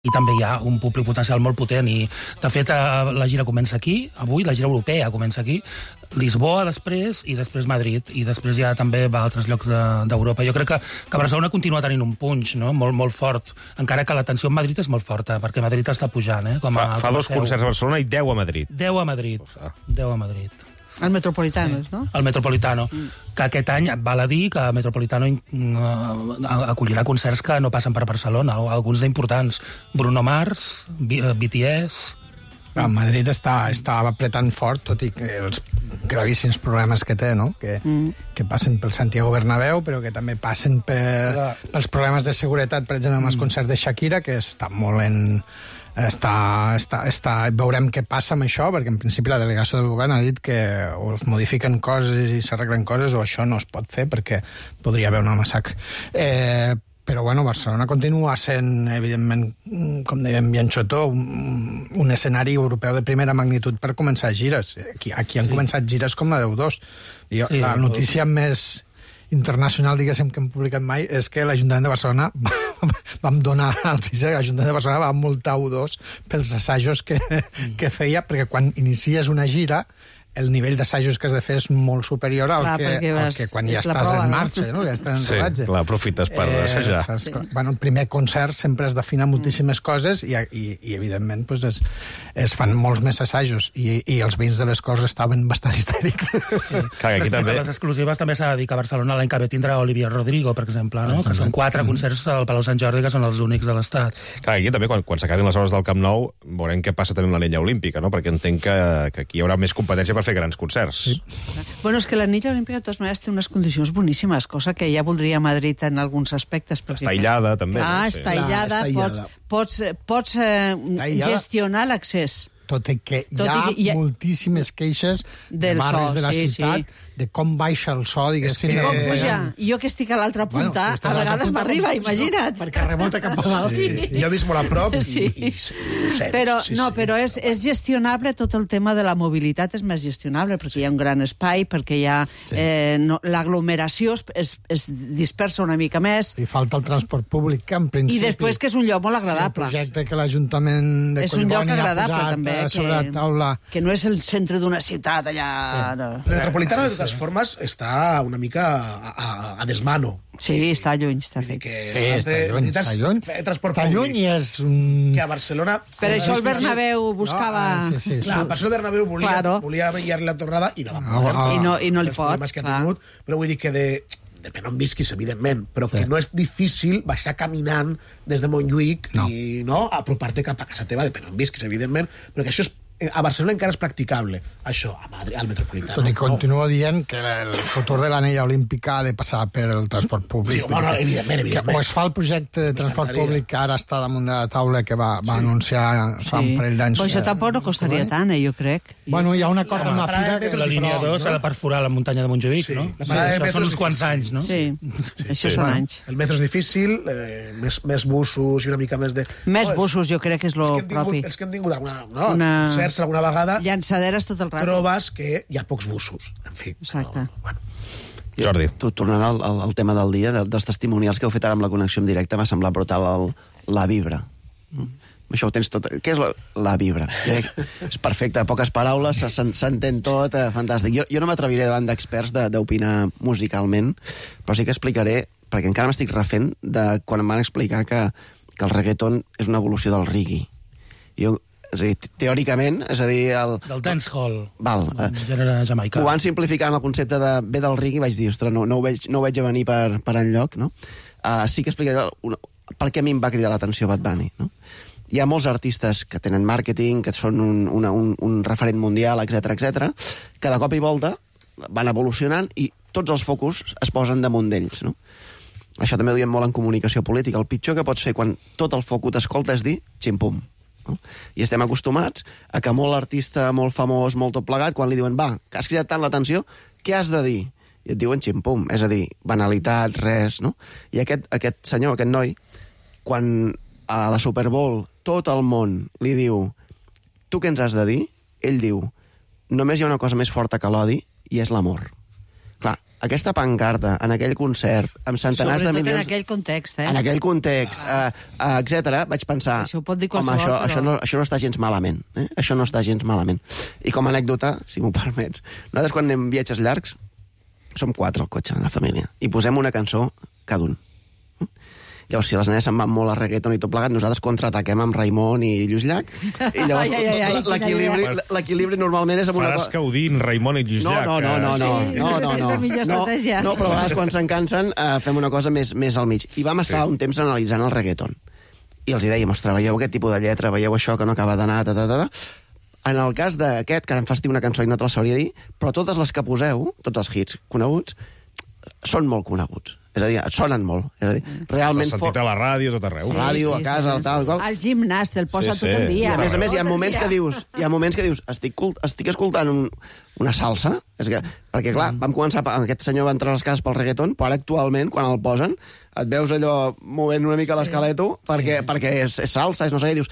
I també hi ha un públic potencial molt potent i, de fet, la gira comença aquí, avui, la gira europea comença aquí, Lisboa després i després Madrid, i després ja també va a altres llocs d'Europa. Jo crec que Barcelona continua tenint un punx, no? Molt fort, encara que la tensió en Madrid és molt forta, perquè Madrid està pujant. Fa 2 concerts a Barcelona i 10 a Madrid. 10 a Madrid, 10 a Madrid. El Metropolitano, no? El Metropolitano, que aquest any val a dir que el Metropolitano acollirà concerts que no passen per Barcelona, alguns d'importants. Bruno Mars, BTS... Madrid està apretant fort, tot i que els gravíssims problemes que té, no? Que passen pel Santiago Bernabéu, però que també passen pels problemes de seguretat, per exemple, amb els concerts de Shakira, que està molt en... Veurem què passa amb això, perquè en principi la delegació del govern ha dit que o es modifiquen coses i s'arreglen coses o això no es pot fer perquè podria haver una massacre. Però, bueno, Barcelona continua sent, evidentment, com dèiem bien xotó, un escenari europeu de primera magnitud per començar gires. Aquí han començat gires com la d'U2. La notícia més internacional, diguéssim, que hem publicat mai, és que l'Ajuntament de Barcelona vam donar la notícia que l'Ajuntament de Barcelona va multar U2 pels assajos que feia, perquè quan inicies una gira el nivell d'assajos que has de fer és molt superior al que quan ja estàs en marxa, no? Ja estàs en rodatge. Sí, clar, aprofites per assajar. El primer concert sempre es defina moltíssimes coses i evidentment, es fan molts més assajos i els veïns de les Corts estaven bastant histèrics. Respecte a les exclusives, també s'ha de dir que a Barcelona l'any que ve tindrà Olivia Rodrigo, per exemple, que són 4 concerts al Palau Sant Jordi, que són els únics de l'Estat. Clar, aquí també, quan s'acabin les hores del Camp Nou, veurem què passa també amb l'anella olímpica, no? Perquè entenc que aquí hi haurà més competència per fer grans concerts. Sí. Bueno, és que l'anella olímpica de totes maneres té unes condicions boníssimes, cosa que ja voldria Madrid en alguns aspectes. Està aïllada, també. Està aïllada, pots gestionar l'accés. Tot i que hi ha moltíssimes queixes de barris de la ciutat de com baixa el so, diguéssim. Com puja? Jo que estic a l'altra punta, a vegades m'arriba, imagina't. Perquè rebota cap a dalt. Jo he vist molt a prop i ho sento. Però és gestionable, tot el tema de la mobilitat és més gestionable, perquè hi ha un gran espai, perquè hi ha l'aglomeració es dispersa una mica més. I falta el transport públic, que en principi... I després que és un lloc molt agradable. Sí, el projecte que l'Ajuntament de Collboni ha posat sobre la taula... Que no és el centre d'una ciutat allà... El Metropolitano, de totes formes, està una mica a desmano. Sí, està lluny, està fet. Sí, està lluny i és un... Que a Barcelona... Per això el Bernabéu buscava... Clar, per això el Bernabéu volia vetllar la tornada i no va poder. I no li pot. Però vull dir que depèn on visquis, evidentment, però que no és difícil baixar caminant des de Montjuïc i apropar-te cap a casa teva, depèn on visquis, evidentment, però que això és a Barcelona encara és practicable, això, a Madrid, al Metropolitano. Tot i continuo dient que el futur de l'anella olímpica ha de passar per el transport públic. Sí, bueno, evidentment. O es fa el projecte de transport públic que ara està damunt de la taula que va anunciar fa un parell d'anys. Però això tampoc no costaria tant, jo crec. Bueno, hi ha un acord amb la Fira que... La línia 2 s'ha de perforar la muntanya de Montjuïc, no? Això són uns quants anys, no? Sí, això són anys. El metro és difícil, més busos i una mica més de... Més busos, jo crec que és el propi. Els que hem tingut alguna vegada... Llançaderes tot el rato. Trobes que hi ha pocs busos. En fi. Exacte. Jordi. Tornant al tema del dia, dels testimonials que heu fet ara amb la connexió en directe, m'ha semblat brutal la vibra. Això ho tens tot... Què és la vibra? És perfecte, poques paraules, s'entén tot, fantàstic. Jo no m'atreviré davant d'experts d'opinar musicalment, però sí que explicaré, perquè encara m'estic refent de quan em van explicar que el reggaeton és una evolució del reggae. És a dir, teòricament, és a dir... Del dancehall, el gènere jamaicà. Ho van simplificar en el concepte de ve del reggae i vaig dir, ostres, no ho veig a venir per enlloc, no? Sí que explicaré per què a mi em va cridar l'atenció Bad Bunny, no? Hi ha molts artistes que tenen màrqueting, que són un referent mundial, etc, que de cop i volta van evolucionant i tots els focus es posen damunt d'ells, no? Això també ho diem molt en comunicació política. El pitjor que pots fer quan tot el foc t'escolta és dir ximpum. No? I estem acostumats a que molt artista, molt famós, molt tot plegat, quan li diuen, va, que has cridat tant l'atenció, què has de dir? I et diuen ximpum, és a dir, banalitat, res, no? I aquest senyor, aquest noi, quan a la Super Bowl tot el món li diu, tu què ens has de dir? Ell diu, només hi ha una cosa més forta que l'odi i és l'amor. Clar, aquesta pancarta, en aquell concert, amb centenars de Sobretot milions... en aquell context, En aquell context, etc., vaig pensar... Això ho pot dir home, qualsevol, això no està gens malament. Això no està gens malament. I com a anècdota, si m'ho permets, nosaltres quan anem viatges llargs, som 4 al cotxe, de la família, i posem una cançó cada un. Llavors, si les nenes se'n van molt a reggaeton i tot plegat, nosaltres contraataquem amb Raimon i Lluís Llach, i llavors l'equilibri normalment és amb una Faràs Caudín, Raimon i Lluís Llach. No, però a vegades quan se'n cansen fem una cosa més al mig. I vam estar un temps analitzant el reggaeton. I els dèiem, ostres, veieu aquest tipus de lletra, veieu això que no acaba d'anar, En el cas d'aquest, que ara em fas dir una cançó i no te la sabria dir, però totes les que poseu, tots els hits coneguts, són molt coneguts. És a dir, et sonen molt. És a dir, realment... S'ha sentit a la ràdio, tot arreu. A la ràdio, a casa, tal, qual. Al gimnàs te'l posa tot el dia. I a més, hi ha moments que dius estic escoltant una salsa, perquè clar, vam començar, aquest senyor va entrar a les cases pel reggaeton, però ara actualment, quan el posen, et veus allò movent una mica l'esqueleto, perquè és salsa, és no sé què, dius,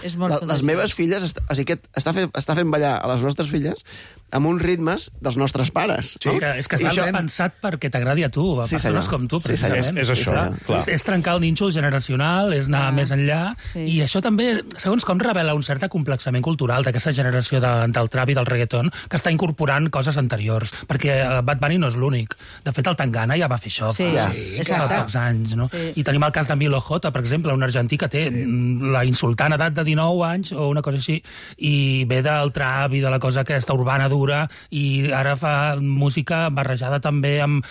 les meves filles, està fent ballar a les nostres filles amb uns ritmes dels nostres pares. Sí, és que està pensat perquè t'agradi a tu, a persones com tu, precisament. És això, clar. És trencar el nínxol generacional, és anar més enllà, i això també, segons com, revela un cert acomplexament cultural d'aquesta generació del trap i del reggaeton, que està incorporant coses anteriors, perquè Bad Bunny no és l'únic. De fet, el Tangana ja va fer això fa pocs anys, no? I tenim el cas de Milo J, per exemple, un argentí que té la insultant edat de 19 anys, o una cosa així, i ve del trap i de la cosa aquesta urbana dura, i ara fa música barrejada també amb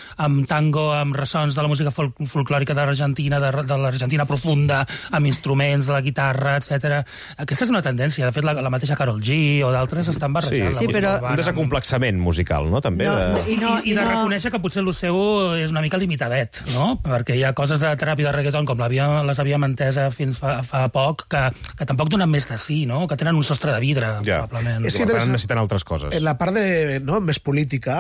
tango, amb ressons de la música folclòrica de l'Argentina, de l'Argentina profunda, amb instruments, la guitarra, etc. Aquesta és una tendència. De fet, la mateixa Karol G o d'altres estan barrejant. Sí, però... Un desacomplexament musical, no?, també. I de reconèixer que potser el seu és una mica limitadet, no?, perquè hi ha coses de trap i de reggaeton, com les havíem entesa fins fa poc, que tampoc donen més de sí, no?, que tenen un sostre de vidre, probablement. És que necessiten altres coses. En la part més política,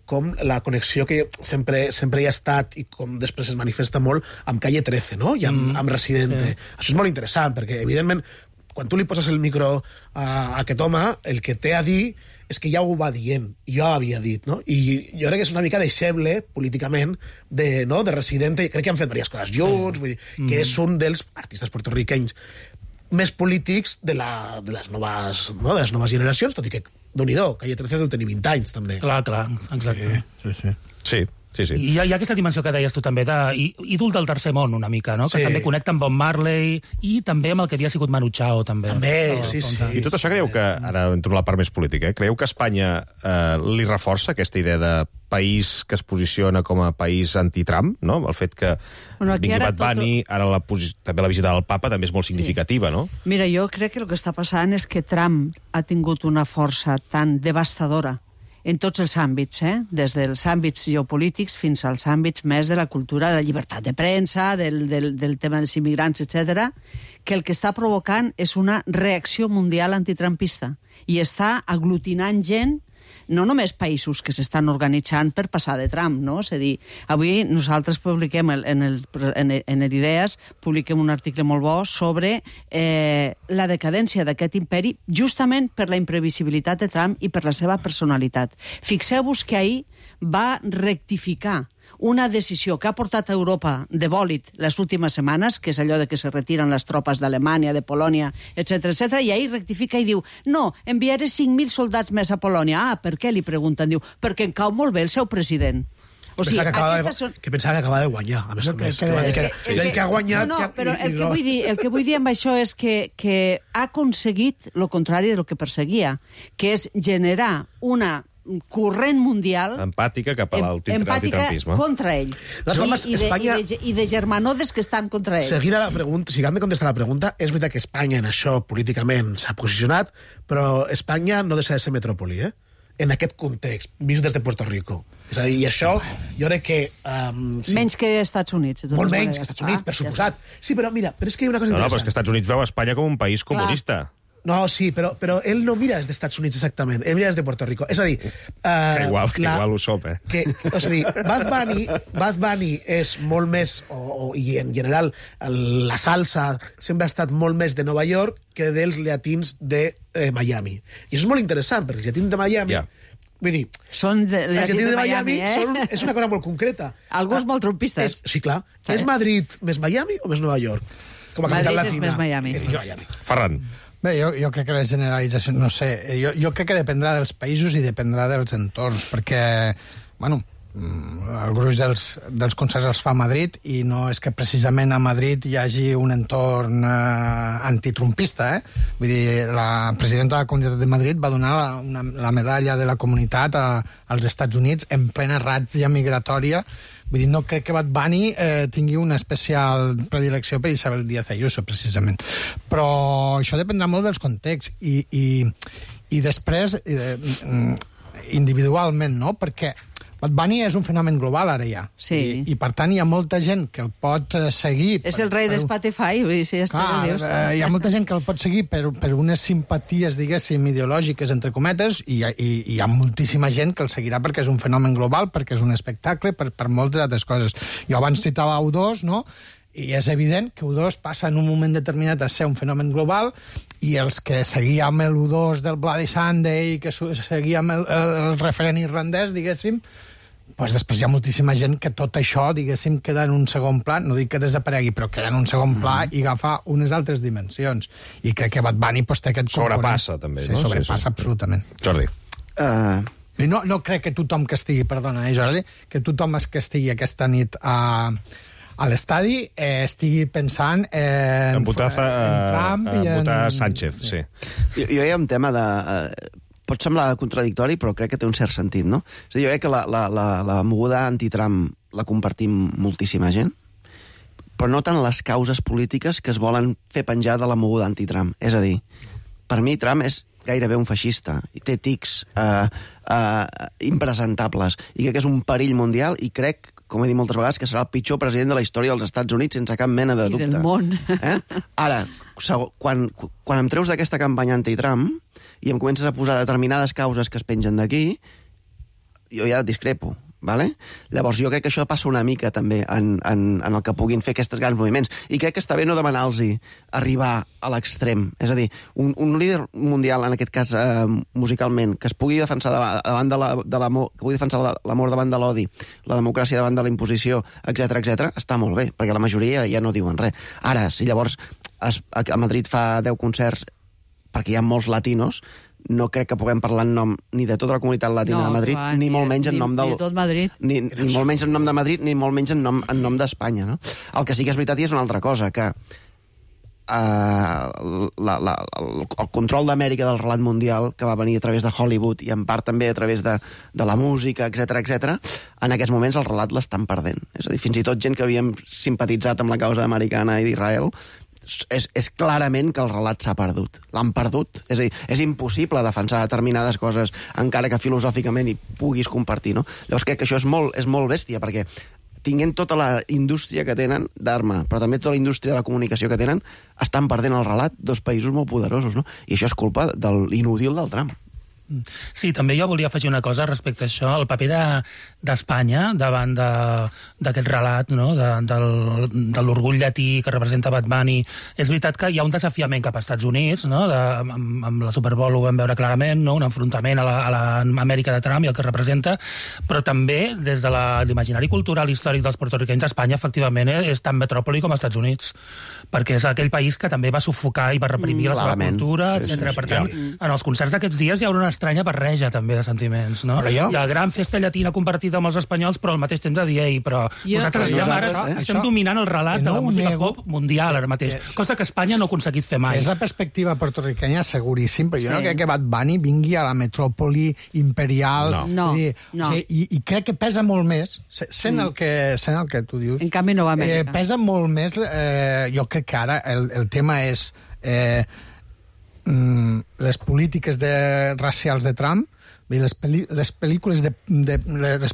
com la connexió que sempre hi ha estat i com després es manifesta molt amb Calle 13, no?, i amb Residente. Això és molt interessant, perquè, evidentment, quan tu li poses el micro a aquest home, el que té a dir és que ja ho va dient, i jo havia dit, no? I jo crec que és una mica deixeble, políticament, de Residente, i crec que han fet diverses coses junts, vull dir, que és un dels artistes portorriquenys més polítics de les noves generacions, tot i que, Déu-n'hi-do, Calle 13 deu tenir 20 anys, també. Clar, exacte. Sí. I hi ha aquesta dimensió que deies tu també, d'ídol del tercer món, una mica, no?, que també connecta amb Bob Marley i també amb el que havia sigut Manu Chao, també. Sí. I tot això creieu que, ara entro a la part més política, creieu que Espanya li reforça aquesta idea de país que es posiciona com a país anti-Trump, no?, el fet que vingui Bad Bunny, ara també la visita del Papa també és molt significativa, no? Mira, jo crec que el que està passant és que Trump ha tingut una força tan devastadora en tots els àmbits, des dels àmbits geopolítics fins als àmbits més de la cultura, de la llibertat de premsa, del tema dels immigrants, etc., que el que està provocant és una reacció mundial antitrumpista i està aglutinant gent, no només països que s'estan organitzant per passar de Trump, no? És a dir, avui nosaltres publiquem en Idees, publiquem un article molt bo sobre la decadència d'aquest imperi justament per la imprevisibilitat de Trump i per la seva personalitat. Fixeu-vos que ahir va rectificar una decisió que ha portat a Europa de bòlit les últimes setmanes, que és allò de que se retiren les tropes d'Alemanya, de Polònia, etc., i ahir rectifica i diu, no, enviaré 5.000 soldats més a Polònia. Ah, per què? Li pregunten. Diu, perquè em cau molt bé el seu president. O sigui, que pensava que acaba de guanyar, a més a més. Que ha guanyat... No, però el que vull dir amb això és que ha aconseguit el contrari del que perseguia, que és generar una corrent mundial empàtica cap a l'antitrampisme contra ell i de germanodes que estan contra ell. Si hem de contestar la pregunta, és veritat que Espanya en això políticament s'ha posicionat, però Espanya no deixa de ser metròpoli, en aquest context, vist des de Puerto Rico. És a dir, i això, jo crec que... Menys que Estats Units. Molt menys que Estats Units, per suposat. Sí, però mira, però és que hi ha una cosa interessant. No, però és que Estats Units veu Espanya com un país comunista. No, sí, però ell no mira des dels Estats Units exactament, ell mira des de Puerto Rico. És a dir... que igual ho sop, és a dir, Bad Bunny és molt més, i en general la salsa sempre ha estat molt més de Nova York que dels llatins de Miami. I això és molt interessant, perquè els llatins de Miami Vull dir, Són els llatins de Miami, és una cosa molt concreta. Alguns molt trumpistes. Sí, clar. És Madrid més Miami o més Nova York? Com a capital Madrid és latina. més Miami. Ferran. Bé, jo crec que la generalització, no sé, jo crec que dependrà dels països i dependrà dels entorns, perquè, bueno, el gruix dels concerts els fa a Madrid i no és que precisament a Madrid hi hagi un entorn antitrumpista, Vull dir, la presidenta de la Comunitat de Madrid va donar la medalla de la comunitat als Estats Units en plena ràtzia migratòria. Vull dir, no crec que Bad Bunny tingui una especial predilecció per Isabel Díaz Ayuso, precisament. Però això dependrà molt dels contexts i després individualment, no? Perquè Bad Bunny és un fenomen global, ara ja. Sí. I per tant, hi ha molta gent que el pot seguir... És el rei de Spotify, vull dir, si hi ha molta gent que el pot seguir per unes simpaties, diguéssim, ideològiques, entre cometes, i hi ha moltíssima gent que el seguirà perquè és un fenomen global, perquè és un espectacle, per moltes altres coses. Jo abans citava U2, no?, i és evident que U2 passa en un moment determinat a ser un fenomen global i els que seguíem el U2 del Bloody Sunday, que seguíem el referent irlandès, diguéssim, doncs després hi ha moltíssima gent que tot això, diguéssim, queda en un segon pla, no dic que desaparegui, però queda en un segon pla i agafa unes altres dimensions. I crec que Bad Bunny té aquest sobrepassa, també, no? Sí, sobrepassa, absolutament. Jordi. No crec que tothom que estigui, perdona, Jordi, que tothom que estigui aquesta nit a l'estadi estigui pensant en Trump i en... votar Sánchez, sí. Jo hi ha un tema de... pot semblar contradictori, però crec que té un cert sentit, no? És a dir, jo crec que la moguda anti-Trump la compartim moltíssima gent, però no tant les causes polítiques que es volen fer penjar de la moguda anti-Trump. És a dir, per mi Trump és gairebé un feixista, i té tics impresentables, i crec que és un perill mundial, i crec, com he dit moltes vegades, que serà el pitjor president de la història dels Estats Units sense cap mena de dubte. I del món. Ara, quan em treus d'aquesta campanya anti-Trump i em comences a posar determinades causes que es pengen d'aquí, jo ja discrepo. Vale? Llavors jo crec que això passa una mica també en el que puguin fer aquests grans moviments, i crec que està bé no demanar-los arribar a l'extrem, és a dir, un líder mundial, en aquest cas musicalment, que es pugui defensar davant de l'amor, que pugui defensar l'amor davant de l'odi, la democràcia davant de la imposició, etc, està molt bé, perquè la majoria ja no diuen res. Ara, si llavors a Madrid fa 10 concerts perquè hi ha molts latinos, no crec que puguem parlar en nom ni de tota la comunitat latina de Madrid, ni molt menys en nom del... Ni tot Madrid. Ni molt menys en nom de Madrid, ni molt menys en nom d'Espanya, no? El que sí que és veritat és una altra cosa, que el control d'Amèrica del relat mundial, que va venir a través de Hollywood i en part també a través de la música, etc, en aquests moments el relat l'estan perdent. És a dir, fins i tot gent que havíem simpatitzat amb la causa americana i d'Israel, és clarament que el relat s'ha perdut. L'han perdut. És a dir, és impossible defensar determinades coses encara que filosòficament hi puguis compartir, no? Llavors crec que això és molt bèstia, perquè tinguent tota la indústria que tenen d'arma, però també tota la indústria de la comunicació que tenen, estan perdent el relat dos països molt poderosos, no? I això és culpa de l'inútil del Trump. Sí, també jo volia afegir una cosa respecte a això, el paper d'Espanya davant d'aquest relat, no? de l'orgull llatí que representa Bad Bunny. És veritat que hi ha un desafiament cap als Estats Units, no? Amb la Super Bowl ho vam veure clarament, no? Un enfrontament a l'Amèrica de Trump i el que representa, però també des de l'imaginari cultural històric dels porto-riquenys, Espanya efectivament és tan metròpoli com els Estats Units, perquè és aquell país que també va sufocar i va reprimir la seva cultura, etc. Per tant, en els concerts d'aquests dies hi haurà una estranya barreja també de sentiments, no? Hi ha gran festa llatina compartida amb els espanyols, però al mateix temps de dir, però nosaltres estem dominant el relat de la música pop mundial ara mateix, cosa que Espanya no ha aconseguit fer mai. És la perspectiva porto-riquenya seguríssim, però jo no crec que Bad Bunny vingui a la metròpoli imperial. No. I crec que pesa molt més, sent el que tu dius. En canvi no va a Amèrica. Pesa molt més, jo crec que ara el tema és les polítiques racials de Trump, les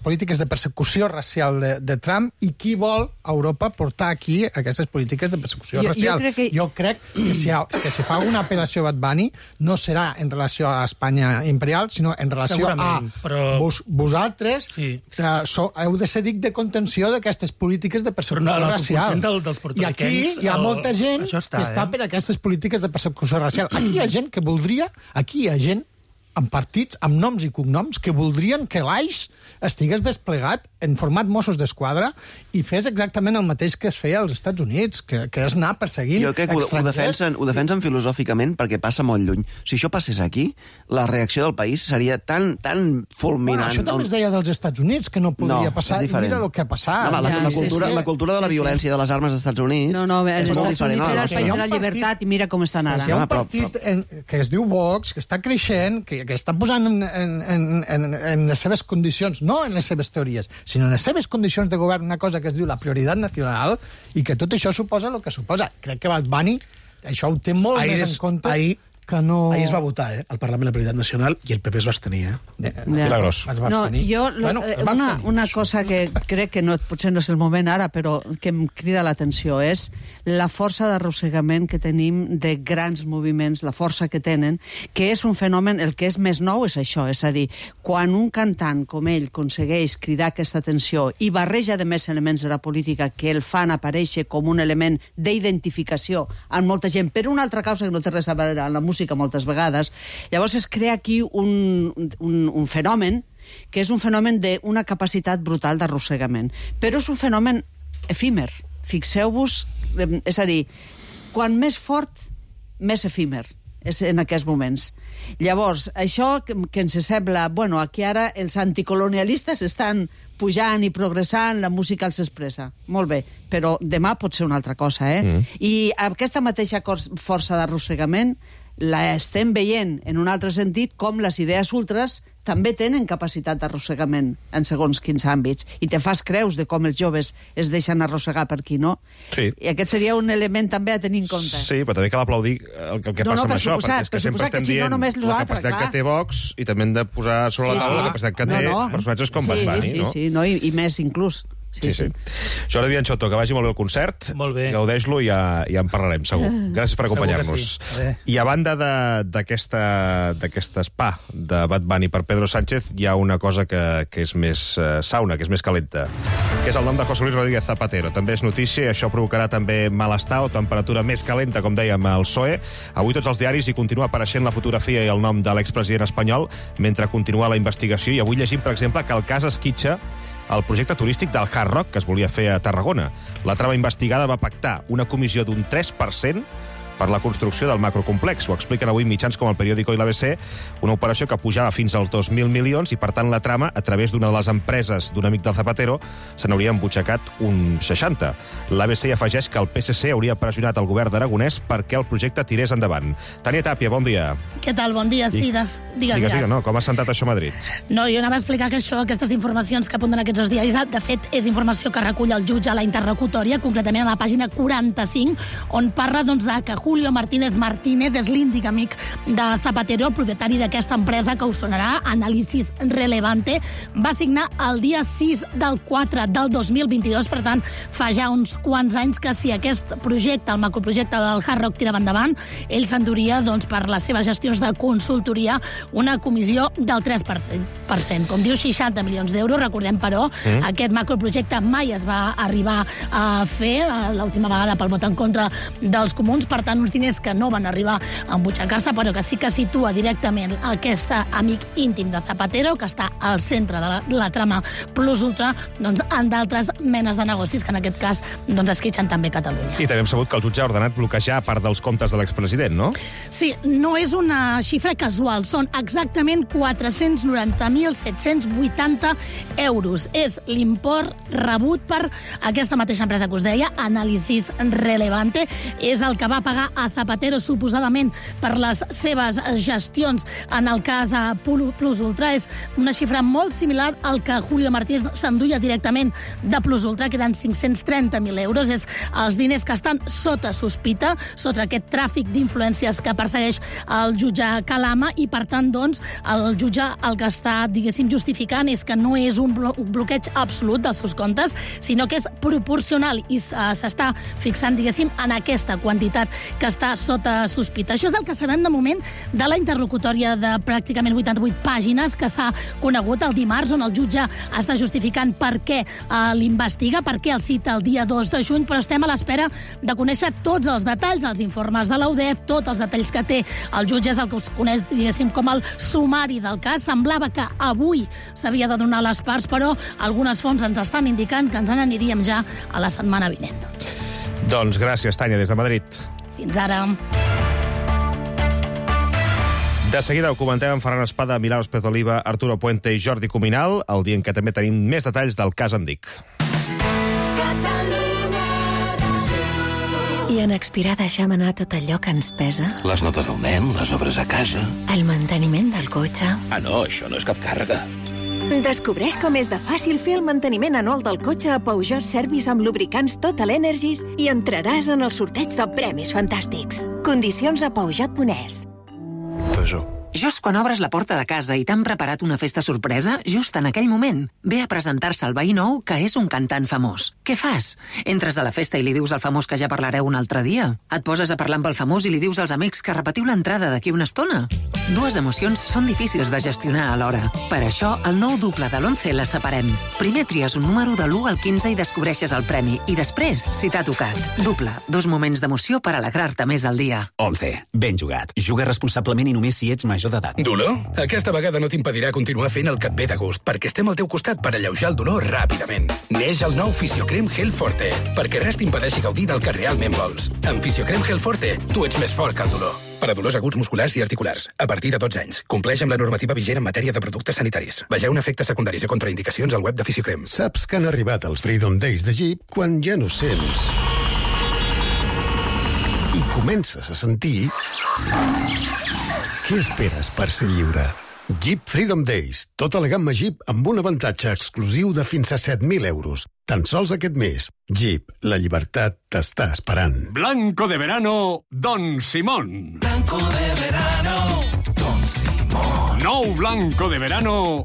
polítiques de persecució racial de Trump, i qui vol a Europa portar aquí aquestes polítiques de persecució racial. Jo crec que si fa una apel·lació a Bad Bunny no serà en relació a l'Espanya imperial, sinó en relació a vosaltres heu de ser dic de contenció d'aquestes polítiques de persecució racial. I aquí hi ha molta gent que està per aquestes polítiques de persecució racial. Aquí hi ha gent que voldria, aquí hi ha gent amb partits, amb noms i cognoms, que voldrien que l'AIS estigués desplegat en format Mossos d'Esquadra i fes exactament el mateix que es feia als Estats Units, que és anar perseguint estrangers. Ho defensen filosòficament perquè passa molt lluny. Si això passés aquí, la reacció del país seria tan fulminant. Això també es deia dels Estats Units, que no podria passar, i mira el que ha passat. La cultura de la violència de les armes als Estats Units és molt diferent. Era el país de la llibertat i mira com estan ara. Hi ha un partit que es diu Vox, que està creixent, que està posant en les seves condicions, no en les seves teories, sinó en les seves condicions de govern, una cosa que es diu la prioritat nacional, i que tot això suposa el que suposa. Crec que Bad Bunny això ho té molt més en compte que no... Ahir es va votar, al Parlament la prioritat nacional, i el PP es va abstenir, Milagros. Una cosa que crec que potser no és el moment ara, però que em crida l'atenció és la força d'arrossegament que tenim de grans moviments, la força que tenen, que és un fenomen, el que és més nou és això, és a dir, quan un cantant com ell aconsegueix cridar aquesta atenció i barreja de més elements de la política que el fan aparèixer com un element d'identificació amb molta gent, per una altra causa que no té res a veure amb la música moltes vegades, llavors es crea aquí un fenomen que és un fenomen d'una capacitat brutal d'arrossegament. Però és un fenomen efímer. Fixeu-vos, és a dir, quan més fort, més efímer és en aquests moments. Llavors, això que ens sembla... Bueno, aquí ara els anticolonialistes estan pujant i progressant, la música els expressa. Molt bé, però demà pot ser una altra cosa, I aquesta mateixa força d'arrossegament la estem veient en un altre sentit com les idees ultres també tenen capacitat d'arrossegament en segons quins àmbits. I te fas creus de com els joves es deixen arrossegar per aquí, no? Sí. I aquest seria un element també a tenir en compte. Sí, però també cal aplaudir el que passa amb això, perquè és que sempre estem dient la capacitat que té Vox i també hem de posar sobre la taula la capacitat que té personatges com Bad Bunny, no? Sí, i més inclús. Sí. Jordi Bianciotto, que vagi molt bé el concert. Molt bé. Gaudeix-lo i ja en parlarem, segur. Gràcies per acompanyar-nos. Sí. I a banda d'aquest spa de Bad Bunny per Pedro Sánchez, hi ha una cosa que és més sauna, que és més calenta, que és el nom de José Luis Rodríguez Zapatero. També és notícia i això provocarà també malestar o temperatura més calenta, com dèiem, al PSOE. Avui tots els diaris hi continua apareixent la fotografia i el nom de l'expresident espanyol mentre continua la investigació, i avui llegim, per exemple, que el cas esquitxa el projecte turístic del Hard Rock que es volia fer a Tarragona. La trama investigada va pactar una comissió d'un 3% per la construcció del macrocomplex. Ho expliquen avui mitjans com el Periódico i l'ABC, una operació que pujava fins als 2.000 milions i, per tant, la trama, a través d'una de les empreses d'un amic del Zapatero, se n'hauria embutxacat un 60. L'ABC afegeix que el PSC hauria pressionat el govern d'Aragonès perquè el projecte tirés endavant. Tània Tàpia, bon dia. Què tal? Bon dia, sí. Digues, no? Com ha sentat això a Madrid? No, jo anava a explicar que aquestes informacions que apunten aquests dos diaris, de fet, és informació que recull el jutge a la interlocutòria, concretament a la pàgina 45, on parla de que Julio Martínez és l'índic amic de Zapatero, el propietari d'aquesta empresa que us sonarà, Análisis Relevante, va signar el dia 6 del 4 del 2022, per tant, fa ja uns quants anys que si aquest projecte, el macroprojecte del Hard Rock, tirava endavant, ell s'enduria, per les seves gestions de consultoria, una comissió del 3%. Com diu, 60 milions d'euros. Recordem, però, aquest macroprojecte mai es va arribar a fer, l'última vegada pel vot en contra dels comuns, per tant, uns diners que no van arribar a embutxacar-se, però que sí que situa directament aquest amic íntim de Zapatero, que està al centre de la trama plus ultra, en d'altres menes de negocis, que en aquest cas esquitxen també Catalunya. I també hem sabut que el jutge ha ordenat bloquejar part dels comptes de l'expresident, no? Sí, no és una xifra casual, són exactament 490.780 euros. És l'import rebut per aquesta mateixa empresa que us deia, Análisis Relevante, és el que va pagar a Zapatero suposadament per les seves gestions en el cas Plus Ultra. És una xifra molt similar al que Julio Martínez s'enduia directament de Plus Ultra, que eren 530.000 euros. És els diners que estan sota sospita, sota aquest tràfic d'influències que persegueix el jutge Calama, i per tant, el jutge el que està, justificant és que no és un bloqueig absolut dels seus comptes, sinó que és proporcional i s'està fixant, en aquesta quantitat que està sota sospita. Això és el que sabem de moment de la interlocutòria de pràcticament 88 pàgines que s'ha conegut el dimarts, on el jutge està justificant per què l'investiga, per què el cita el dia 2 de juny, però estem a l'espera de conèixer tots els detalls, els informes de la UDEF, tots els detalls que té el jutge, és el que us coneix, diguéssim, com el sumari del cas. Semblava que avui s'havia de donar les parts, però algunes fonts ens estan indicant que ens n'aniríem ja a la setmana vinent. Doncs gràcies, Tània, des de Madrid. Fins ara. De seguida ho comentem amb Ferran Espada, Milà López Oliva, Arturo Puente i Jordi Cuminal, el dia en què també tenim més detalls del cas Andic. I en expirar deixem anar tot allò que ens pesa? Les notes del nen, les obres a casa... El manteniment del cotxe... Ah, no, això no és cap càrrega. Descobreix com és de fàcil fer el manteniment anual del cotxe a Peugeot Service amb lubricants Total Energies i entraràs en el sorteig de premis fantàstics. Condicions a Peugeot.es. Peugeot. Just quan obres la porta de casa i t'han preparat una festa sorpresa, just en aquell moment, ve a presentar-se el veí nou que és un cantant famós. Què fas? Entres a la festa i li dius al famós que ja parlareu un altre dia? Et poses a parlar amb el famós i li dius als amics que repetiu l'entrada d'aquí una estona? Dues emocions són difícils de gestionar alhora. Per això, el nou duple de l'11 les separem. Primer tries un número de l'1 al 15 i descobreixes el premi. I després, si t'ha tocat. Duple, 2 moments d'emoció per alegrar-te més al dia. 11. Ben jugat. Juga responsablement i només si ets major d'edat. Dolor? Aquesta vegada no t'impedirà continuar fent el que et ve de gust, perquè estem al teu costat per alleujar el dolor ràpidament. Neix el nou Fisiocrem Gel Forte, perquè res t'impedeixi gaudir del que realment vols. Amb Fisiocrem Gel Forte, tu ets més fort que el dolor. Per a dolors aguts musculars i articulars, a partir de 12 anys. Compleix amb la normativa vigent en matèria de productes sanitaris. Vegeu efectes secundaris i contraindicacions al web de Fisiocrem. Saps que han arribat els Freedom Days de Jeep quan ja no sents i comences a sentir... Què esperes per ser lliure? Jeep Freedom Days. Tota la gamma Jeep amb un avantatge exclusiu de fins a 7.000 euros. Tan sols aquest mes. Jeep, la llibertat t'està esperant. Blanco de verano, Don Simón. Blanco de verano, Don Simón. Nou Blanco de verano,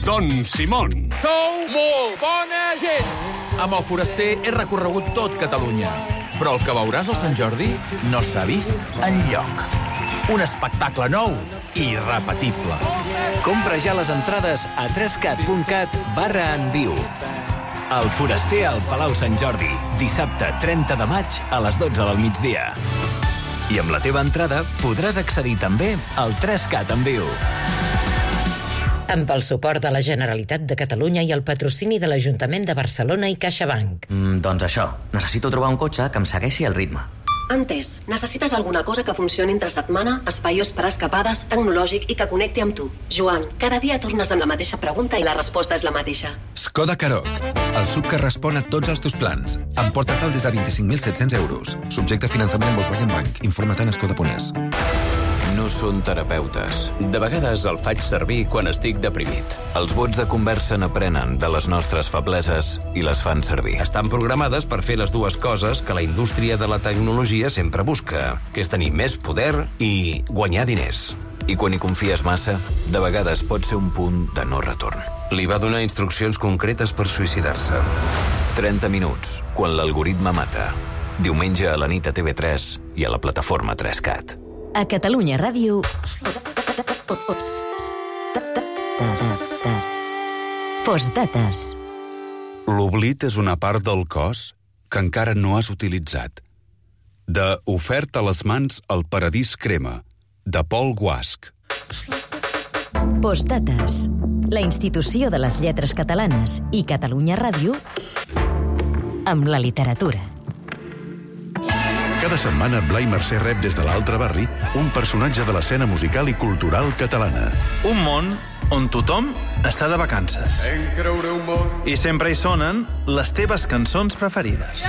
Don Simón. Sou molt bona gent! Amb el Foraster he recorregut tot Catalunya, però el que veuràs al Sant Jordi no s'ha vist enlloc. Un espectacle nou i irrepetible. Compra ja les entrades a 3cat.cat/enviu. El Foraster al Palau Sant Jordi, dissabte 30 de maig a les 12 del migdia. I amb la teva entrada podràs accedir també al 3Cat en viu. Amb el suport de la Generalitat de Catalunya i el patrocini de l'Ajuntament de Barcelona i CaixaBank. Doncs això, necessito trobar un cotxe que em segueixi el ritme. Entès. Necessites alguna cosa que funcioni entre setmana, espaiós per escapades, tecnològic i que connecti amb tu. Joan, cada dia tornes amb la mateixa pregunta i la resposta és la mateixa. Skoda Karoq, el SUV que respon a tots els teus plans. Emporta-te'l des de 25.700 euros. Subjecte a finançament en Volkswagen Bank. Informa-te en Skoda.es. No són terapeutes. De vegades el faig servir quan estic deprimit. Els bots de conversa n'aprenen de les nostres febleses i les fan servir. Estan programades per fer les dues coses que la indústria de la tecnologia sempre busca, que és tenir més poder i guanyar diners. I quan hi confies massa, de vegades pot ser un punt de no retorn. Li va donar instruccions concretes per suïcidar-se. 30 minuts, quan l'algoritme mata. Diumenge a la nit a TV3 i a la plataforma 3Cat. A Catalunya Ràdio... Postdates. L'oblit és una part del cos que encara no has utilitzat. De Ofert a les mans al paradís crema, de Pol Guasch. Postdates. La institució de les lletres catalanes i Catalunya Ràdio amb la literatura. Cada setmana, Blai Mercè rep des de l'altre barri un personatge de l'escena musical i cultural catalana. Un món on tothom està de vacances. I sempre hi sonen les teves cançons preferides.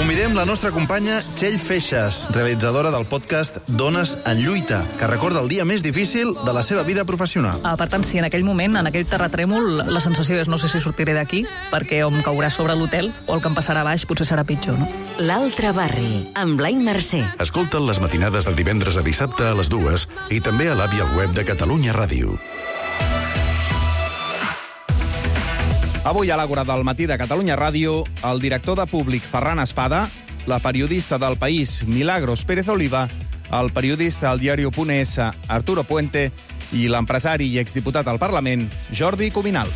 Convidem la nostra companya Txell Feixas, realitzadora del podcast Dones en lluita, que recorda el dia més difícil de la seva vida professional. Per tant, si en aquell moment, en aquell terratrèmol, la sensació és no sé si sortiré d'aquí, perquè o em caurà sobre l'hotel o el que em passarà a baix potser serà pitjor, no? L'altre barri, amb Blai Mercè. Escolta'n les matinades de divendres a dissabte a les 2 i també a l'app i al web de Catalunya Ràdio. Avui a l'Àgora del matí de Catalunya Ràdio, el director de Públic, Ferran Espada, la periodista del País, Milagros Pérez Oliva, el periodista del diario.es, Arturo Puente, i l'empresari i exdiputat al Parlament, Jordi Cuminal.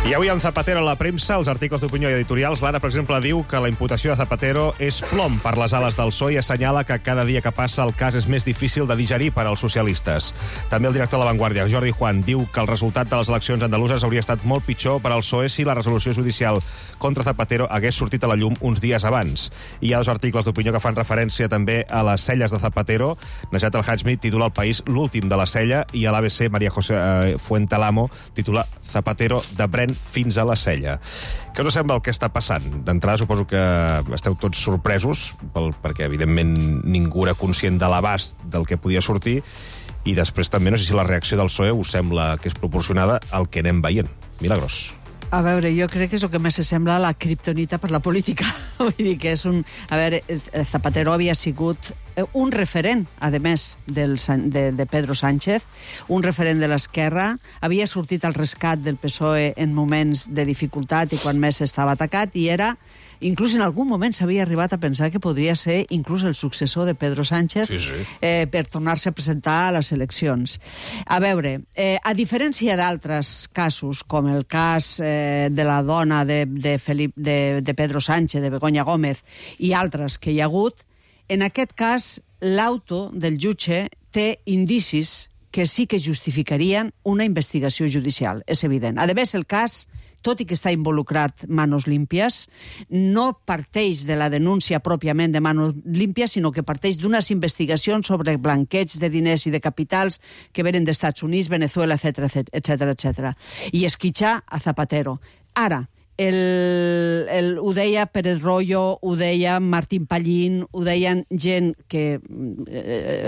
I avui amb Zapatero a la premsa, els articles d'opinió i editorials, l'Ara, per exemple, diu que la imputació de Zapatero és plom per les ales del PSOE i assenyala que cada dia que passa el cas és més difícil de digerir per als socialistes. També el director de La Vanguardia, Jordi Juan, diu que el resultat de les eleccions andaluses hauria estat molt pitjor per al PSOE si la resolució judicial contra Zapatero hagués sortit a la llum uns dies abans. I hi ha dos articles d'opinió que fan referència també a les celles de Zapatero. Najat El-Hajmi titula El País l'últim de la cella i a l'ABC María José Fuentelamo titula Zapatero de Bren fins a la cella. Què us sembla el que està passant? D'entrada suposo que esteu tots sorpresos, perquè evidentment ningú era conscient de l'abast del que podia sortir, i després també no sé si la reacció del PSOE us sembla que és proporcionada al que anem veient. Milagros. A veure, jo crec que és el que més sembla la kriptonita per la política. Vull dir que és un... A veure, Zapatero havia sigut un referent, a més, de Pedro Sánchez, un referent de l'esquerra, havia sortit al rescat del PSOE en moments de dificultat i quan més estava atacat, i era, inclús en algun moment s'havia arribat a pensar que podria ser inclús el successor de Pedro Sánchez per tornar-se a presentar a les eleccions. A veure, a diferència d'altres casos, com el cas de la dona de Pedro Sánchez, de Begoña Gómez, i altres que hi ha hagut, en aquest cas, l'auto del jutge té indicis que sí que justificarien una investigació judicial, és evident. A més, el cas, tot i que està involucrat Manos Limpias, no parteix de la denúncia pròpiament de Manos Limpias, sinó que parteix d'unes investigacions sobre blanqueig de diners i de capitals que venen d'Estats Units, Venezuela, etc. I esquitxar a Zapatero. Ara, ho deia Pérez Royo, ho deia Martín Pallín, ho deien gent que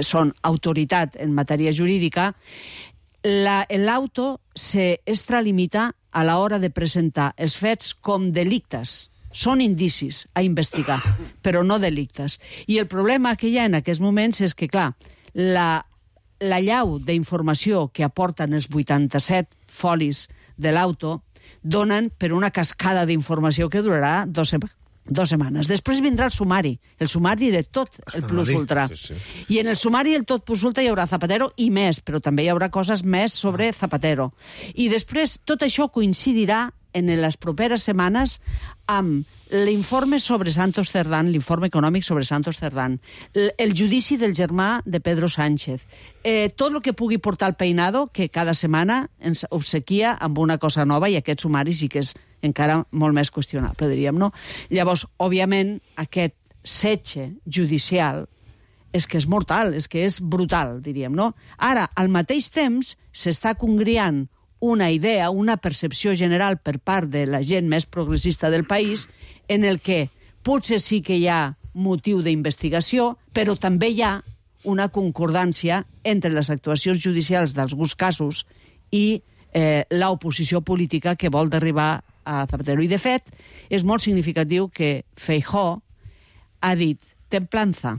són autoritat en matèria jurídica, l'auto se extralimita a l'hora de presentar els fets com delictes. Són indicis a investigar, però no delictes. I el problema que hi ha en aquests moments és que, clar, la llau d'informació que aporten els 87 folis de l'auto donen per una cascada d'informació que durarà 2 setmanes. Després vindrà el sumari de tot el plus ultra. I en el sumari del tot plus ultra hi haurà Zapatero i més, però també hi haurà coses més sobre Zapatero. I després tot això coincidirà en les properes setmanes amb l'informe sobre Santos Cerdán, l'informe econòmic sobre Santos Cerdán, el judici del germà de Pedro Sánchez, tot el que pugui portar el Peinado, que cada setmana ens obsequia amb una cosa nova, i aquest sumari sí que és encara molt més qüestionable, diríem, no? Llavors, òbviament, aquest setge judicial és que és mortal, és que és brutal, diríem, no? Ara, al mateix temps, s'està congriant una idea, una percepció general per part de la gent més progressista del país, en el que potser sí que hi ha motiu d'investigació, però també hi ha una concordància entre les actuacions judicials d'alguns casos i l'oposició política que vol derribar a Zapatero. I, de fet, és molt significatiu que Feijóo ha dit templanza,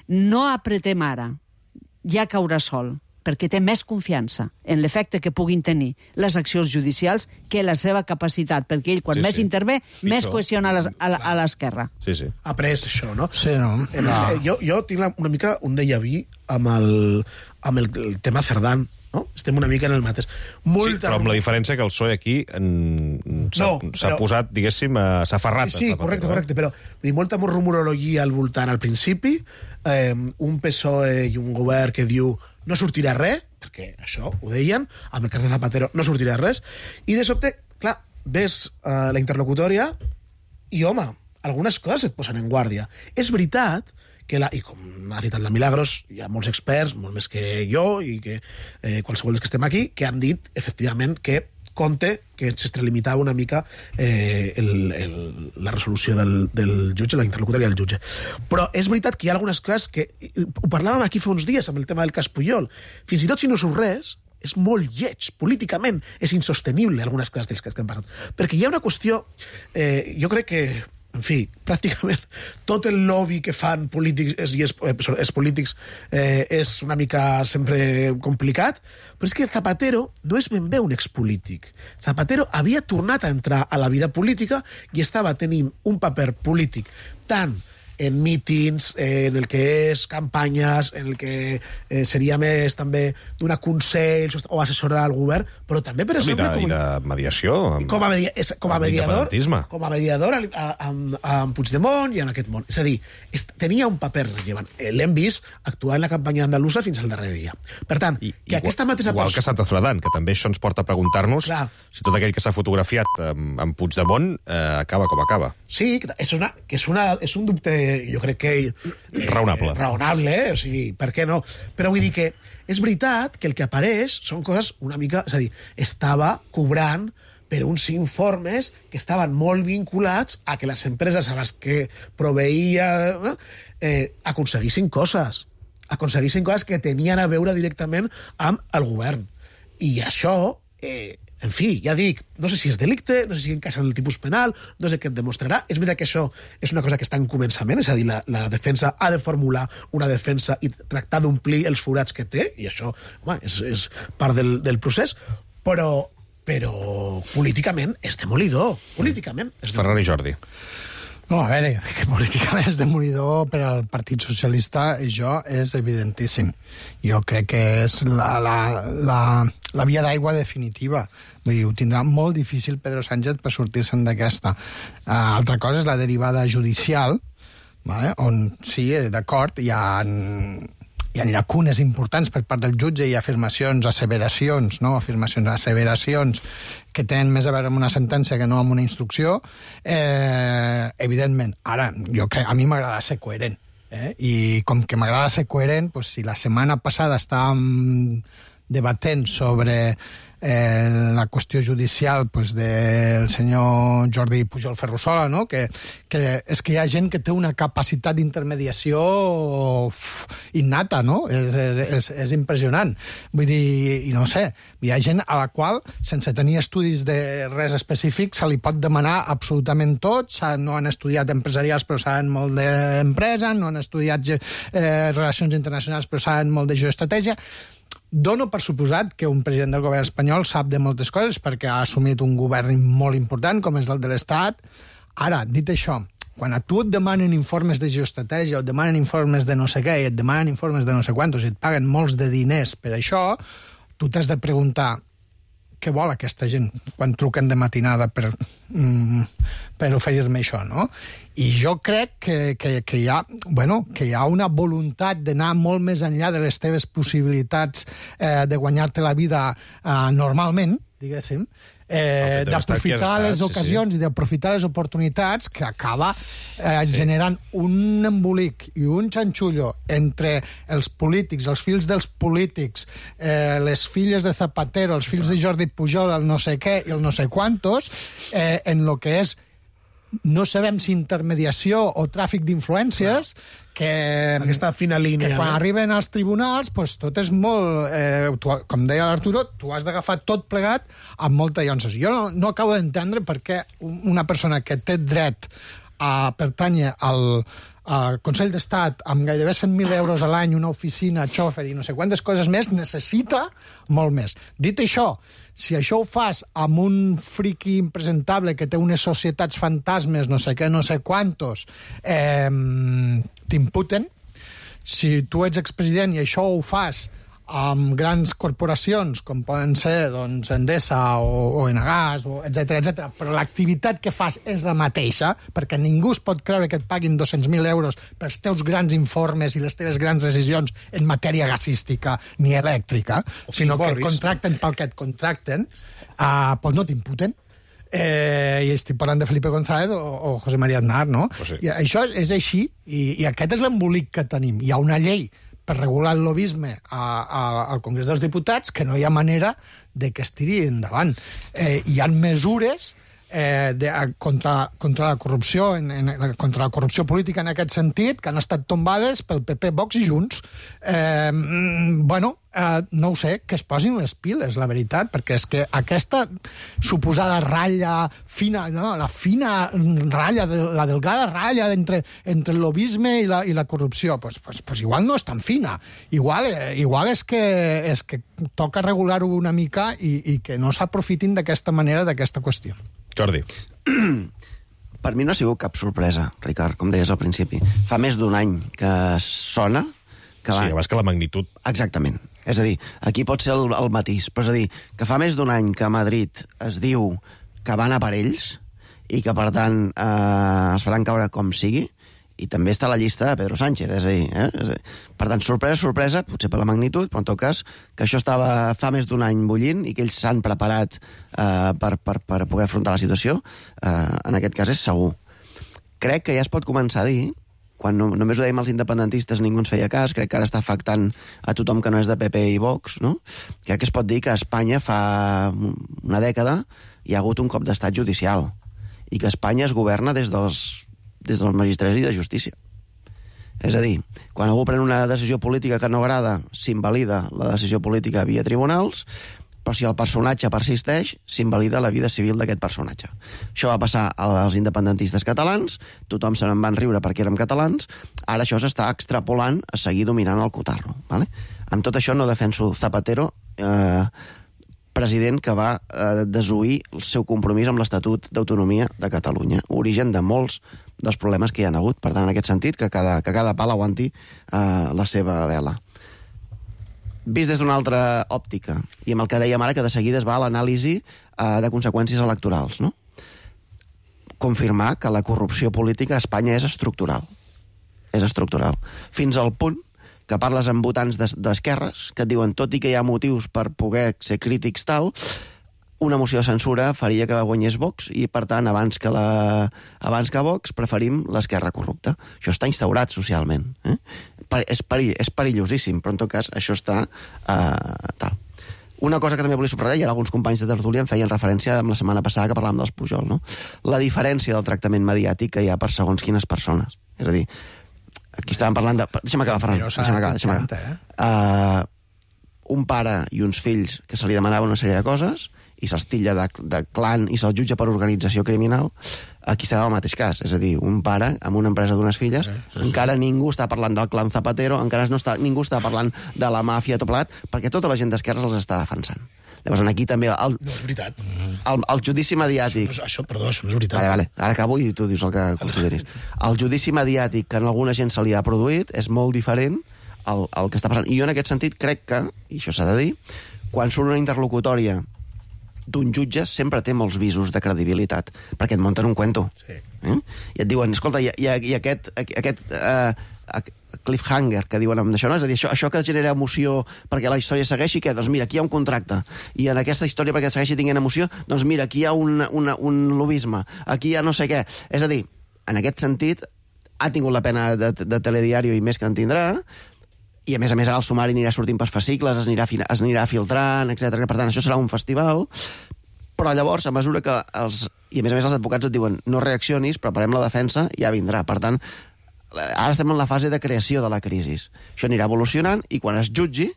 no apretem ara, ja caurà sol, perquè té més confiança en l'efecte que puguin tenir les accions judicials que la seva capacitat, perquè ell, quan més intervé, més qüestiona a l'esquerra. Ha pres això, no? Sí, no? Jo tinc una mica un déjà vu amb el tema Cerdán, no? Estem una mica en el mateix. Sí, però amb la diferència que el PSOE aquí s'ha posat, diguéssim, s'ha aferrat. Sí, correcte, però molta rumorologia al voltant al principi, un PSOE i un govern que diu no sortirà res, perquè això ho deien, amb el cas de Zapatero no sortirà res, i de sobte, clar, ves la interlocutòria i, home, algunes coses et posen en guàrdia. És veritat que, i com ha citat la Milagros, hi ha molts experts, molt més que jo i que qualsevol dels que estem aquí, que han dit, efectivament, que compte que s'extralimitava una mica la resolució del jutge, la interlocutòria del jutge. Però és veritat que hi ha algunes coses que... Ho parlàvem aquí fa uns dies amb el tema del cas Pujol. Fins i tot si no surt res, és molt lleig. Políticament és insostenible algunes coses dels que hem parlat. Perquè hi ha una qüestió... jo crec que en fi, pràcticament tot el lobby que fan polítics i els polítics és una mica sempre complicat, però és que Zapatero no és ben bé un expolític. Zapatero havia tornat a entrar a la vida política i estava tenint un paper polític tant en mítings, en el que és campanyes, en el que seria més també donar consells o assessorar al govern, però també, per exemple... I de mediació. Com a mediador amb Puigdemont i en aquest món. És a dir, tenia un paper rellevant. L'hem vist actuar en la campanya andalusa fins al darrer dia. Per tant, que aquesta mateixa persona... Igual que Santa Zuladan, que també això ens porta a preguntar-nos si tot aquell que s'ha fotografiat amb Puigdemont acaba com acaba. Sí, és un dubte, jo crec que... Raonable, o sigui, per què no? Però vull dir que és veritat que el que apareix són coses una mica... És a dir, estava cobrant per uns informes que estaven molt vinculats a que les empreses a les que proveïa aconseguissin coses que tenien a veure directament amb el govern. I això... en fi, ja dic, no sé si és delicte, no sé si encaixa en el tipus penal, no sé què et demostrarà. És veritat que això és una cosa que està en començament, és a dir, la defensa ha de formular una defensa i tractar d'omplir els forats que té, i això és part del procés, però políticament és demolidor. Ferran i Jordi. No, a veure, que políticament és demolidor per al Partit Socialista, això és evidentíssim. Jo crec que és la via d'aigua definitiva. Vull dir, ho tindrà molt difícil Pedro Sánchez per sortir-se'n d'aquesta. Altra cosa és la derivada judicial, vale? On sí, d'acord, hi ha llacunes importants per part del jutge i asseveracions que tenen més a veure amb una sentència que no amb una instrucció, evidentment. Ara, jo crec, a mi m'agrada ser coherent, i com que m'agrada ser coherent, doncs, si la setmana passada estàvem debatent sobre la qüestió judicial pues, del senyor Jordi Pujol Ferrusola, no? que és que hi ha gent que té una capacitat d'intermediació innata, no? És impressionant. Vull dir, i no sé, hi ha gent a la qual, sense tenir estudis de res específic, se li pot demanar absolutament tot, no han estudiat empresarials però saben molt d'empresa, no han estudiat relacions internacionals però saben molt de geoestratègia. Dono per suposat que un president del govern espanyol sap de moltes coses perquè ha assumit un govern molt important com és el de l'Estat. Ara, dit això, quan a tu et demanen informes de geoestratègia o et demanen informes de no sé què i et demanen informes de no sé quantos i et paguen molts de diners per això, tu t'has de preguntar què vol aquesta gent quan truquen de matinada per oferir-me això, no? I jo crec que hi ha una voluntat d'anar molt més enllà de les teves possibilitats de guanyar-te la vida normalment, diguéssim, d'aprofitar les ocasions i d'aprofitar les oportunitats que acaba generant un embolic i un xanxullo entre els polítics, els fills dels polítics, les filles de Zapatero, els fills de Jordi Pujol, el no sé què i el no sé quantos, en lo que és no sabem si intermediació o tràfic d'influències, que aquesta fina línia, que quan arriben als tribunals pues, tot és molt... com deia l'Arturo, tu has d'agafar tot plegat amb molta llanços. Jo no acabo d'entendre per què una persona que té dret a pertànyer al Consell d'Estat amb gairebé 100.000 euros a l'any, una oficina, xòfer i no sé quantes coses més, necessita molt més. Dit això, si això ho fas amb un friqui impresentable que té unes societats fantasmes, no sé què, no sé quantos, t'imputen. Si tu ets expresident i això ho fas amb grans corporacions, com poden ser doncs, Endesa o Enagás, etc, però l'activitat que fas és la mateixa, perquè ningú es pot creure que et paguin 200.000 euros pels teus grans informes i les teves grans decisions en matèria gasística ni elèctrica, sinó que et contracten pel que et contracten, doncs no t'imputen. I estic parlant de Felipe González o José María Aznar, no? Pues sí. I això és així, i aquest és l'embolic que tenim. Hi ha una llei per regular el lobisme al Congrés dels Diputats que no hi ha manera de que es tiri endavant. Hi ha mesures contra la corrupció, contra la corrupció política en aquest sentit, que han estat tombades pel PP, Vox i Junts. No ho sé, que es posin les piles, la veritat, perquè és que aquesta suposada ratlla fina, no, la fina ratlla, la delgada ratlla entre el lobisme i la corrupció, pues igual no és tan fina. Igual és que toca regular-ho una mica i que no s'aprofitin d'aquesta manera d'aquesta qüestió. Jordi. Per mi no ha sigut cap sorpresa, Ricard, com deies al principi. Fa més d'un any que sona... Sí, abans que la magnitud. Exactament. És a dir, aquí pot ser el matís, però és a dir, que fa més d'un any que a Madrid es diu que van a per ells i que, per tant, es faran caure com sigui, i també està a la llista de Pedro Sánchez, és a dir, per tant, sorpresa, potser per la magnitud, però en tot cas, que això estava fa més d'un any bullint i que ells s'han preparat per poder afrontar la situació, en aquest cas és segur. Crec que ja es pot començar a dir, quan només ho dèiem als independentistes ningú ens feia cas, crec que ara està afectant a tothom que no és de PP i Vox, no? Crec que es pot dir que a Espanya fa una dècada hi ha hagut un cop d'estat judicial i que Espanya es governa des dels magistrats i de justícia. És a dir, quan algú pren una decisió política que no agrada, s'invalida la decisió política via tribunals, però si el personatge persisteix, s'invalida la vida civil d'aquest personatge. Això va passar als independentistes catalans, tothom se n'en van riure perquè érem catalans, ara això s'està extrapolant a seguir dominant el cotarro. Vale? Amb tot això no defenso Zapatero, president que va desoir el seu compromís amb l'Estatut d'Autonomia de Catalunya, origen de molts dels problemes que hi ha hagut. Per tant, en aquest sentit, que cada pal aguanti la seva vela. Vist des d'una altra òptica, i amb el que dèiem ara, que de seguida es va a l'anàlisi de conseqüències electorals, no? Confirmar que la corrupció política a Espanya és estructural. És estructural. Fins al punt que parles amb votants d'esquerres, que et diuen, tot i que hi ha motius per poder ser crítics tal, una moció de censura faria que guanyés Vox i, per tant, abans que Vox, preferim l'esquerra corrupta. Això està instaurat socialment. És perillosíssim, però en tot cas això està tal. Una cosa que també volia subratllar, i alguns companys de tertúlia en feien referència amb la setmana passada que parlàvem dels Pujol, no? La diferència del tractament mediàtic que hi ha per segons quines persones. És a dir, aquí estàvem parlant de... Deixa'm acabar, Ferran. Deixa'm acabar. Un pare i uns fills que se li demanaven una sèrie de coses i se'ls titlla de clan i se'ls jutja per organització criminal, aquí estem al mateix cas. És a dir, un pare amb una empresa d'unes filles, encara ningú està parlant del clan Zapatero, encara ningú està parlant de la màfia, tot plegat, perquè tota la gent d'esquerres els està defensant. Llavors, aquí també... No és veritat. El judici mediàtic... Perdó, això no és veritat. Vale, ara acabo i tu dius el que consideris. El judici mediàtic que a alguna gent se li ha produït és molt diferent el que està passant. I jo en aquest sentit crec que, i això s'ha de dir, quan surt una interlocutòria d'un jutge sempre té molts visos de credibilitat, perquè et munten un cuento. Sí. I et diuen, escolta, i aquest cliffhanger que diuen amb això, no? És a dir, això que genera emoció perquè la història segueixi, què? Doncs mira, aquí hi ha un contracte. I en aquesta història, perquè segueixi tinguent emoció, doncs mira, aquí hi ha un lobisme, aquí hi ha no sé què. És a dir, en aquest sentit, ha tingut la pena de Telediario i més que en tindrà, i a més ara el sumari anirà sortint per fascicles, es anirà filtrant, etc. Per tant, això serà un festival, però llavors, a mesura que i a més els advocats et diuen no reaccionis, preparem la defensa, ja vindrà. Per tant, ara estem en la fase de creació de la crisi. Això anirà evolucionant i quan es jutgi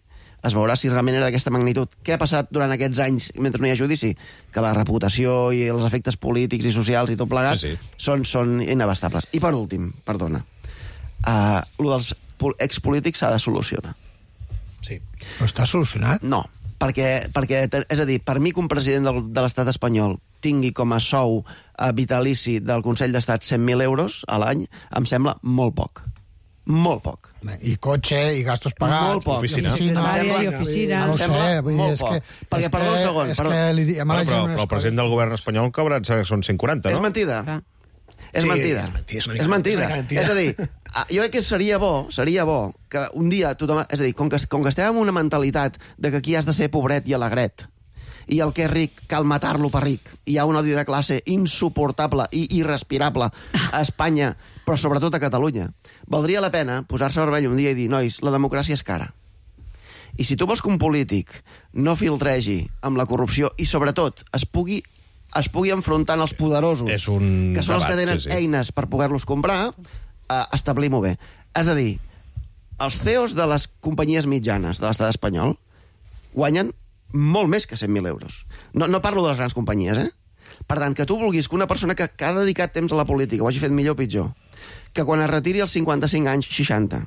es veurà si realment era d'aquesta magnitud. Què ha passat durant aquests anys mentre no hi ha judici? Que la reputació i els efectes polítics i socials i tot plegat són inabastables. I per últim, perdona, lo dels expolítics s'ha de solucionar. Sí. Però està solucionat? No, perquè, és a dir, per mi que un president de l'estat espanyol tingui com a sou vitalici del Consell d'Estat 100.000 euros a l'any, em sembla molt poc. Molt poc. I cotxe, i gastos pagats. Molt poc. Oficina. Oficina. No ho sé, molt poc. Perquè, perdó un segon. Però el president del govern espanyol cobra, són 140, no? És mentida. És mentida. És mentida. És a dir, jo crec que seria bo que un dia tothom... És a dir, com que estem amb una mentalitat de que aquí has de ser pobret i alegret, i el que és ric cal matar-lo per ric, hi ha un odi de classe insuportable i irrespirable a Espanya, però sobretot a Catalunya, valdria la pena posar-se vermell un dia i dir, nois, la democràcia és cara. I si tu vols que un polític no filtregi amb la corrupció i sobretot es pugui es pugui enfrontar als poderosos, que són els que tenen eines per poder-los comprar, establim-ho bé. És a dir, els CEOs de les companyies mitjanes de l'estat espanyol guanyen molt més que 100.000 euros. No parlo de les grans companyies, Per tant, que tu vulguis que una persona que ha dedicat temps a la política ho hagi fet millor o pitjor, que quan es retiri als 55 anys, 60,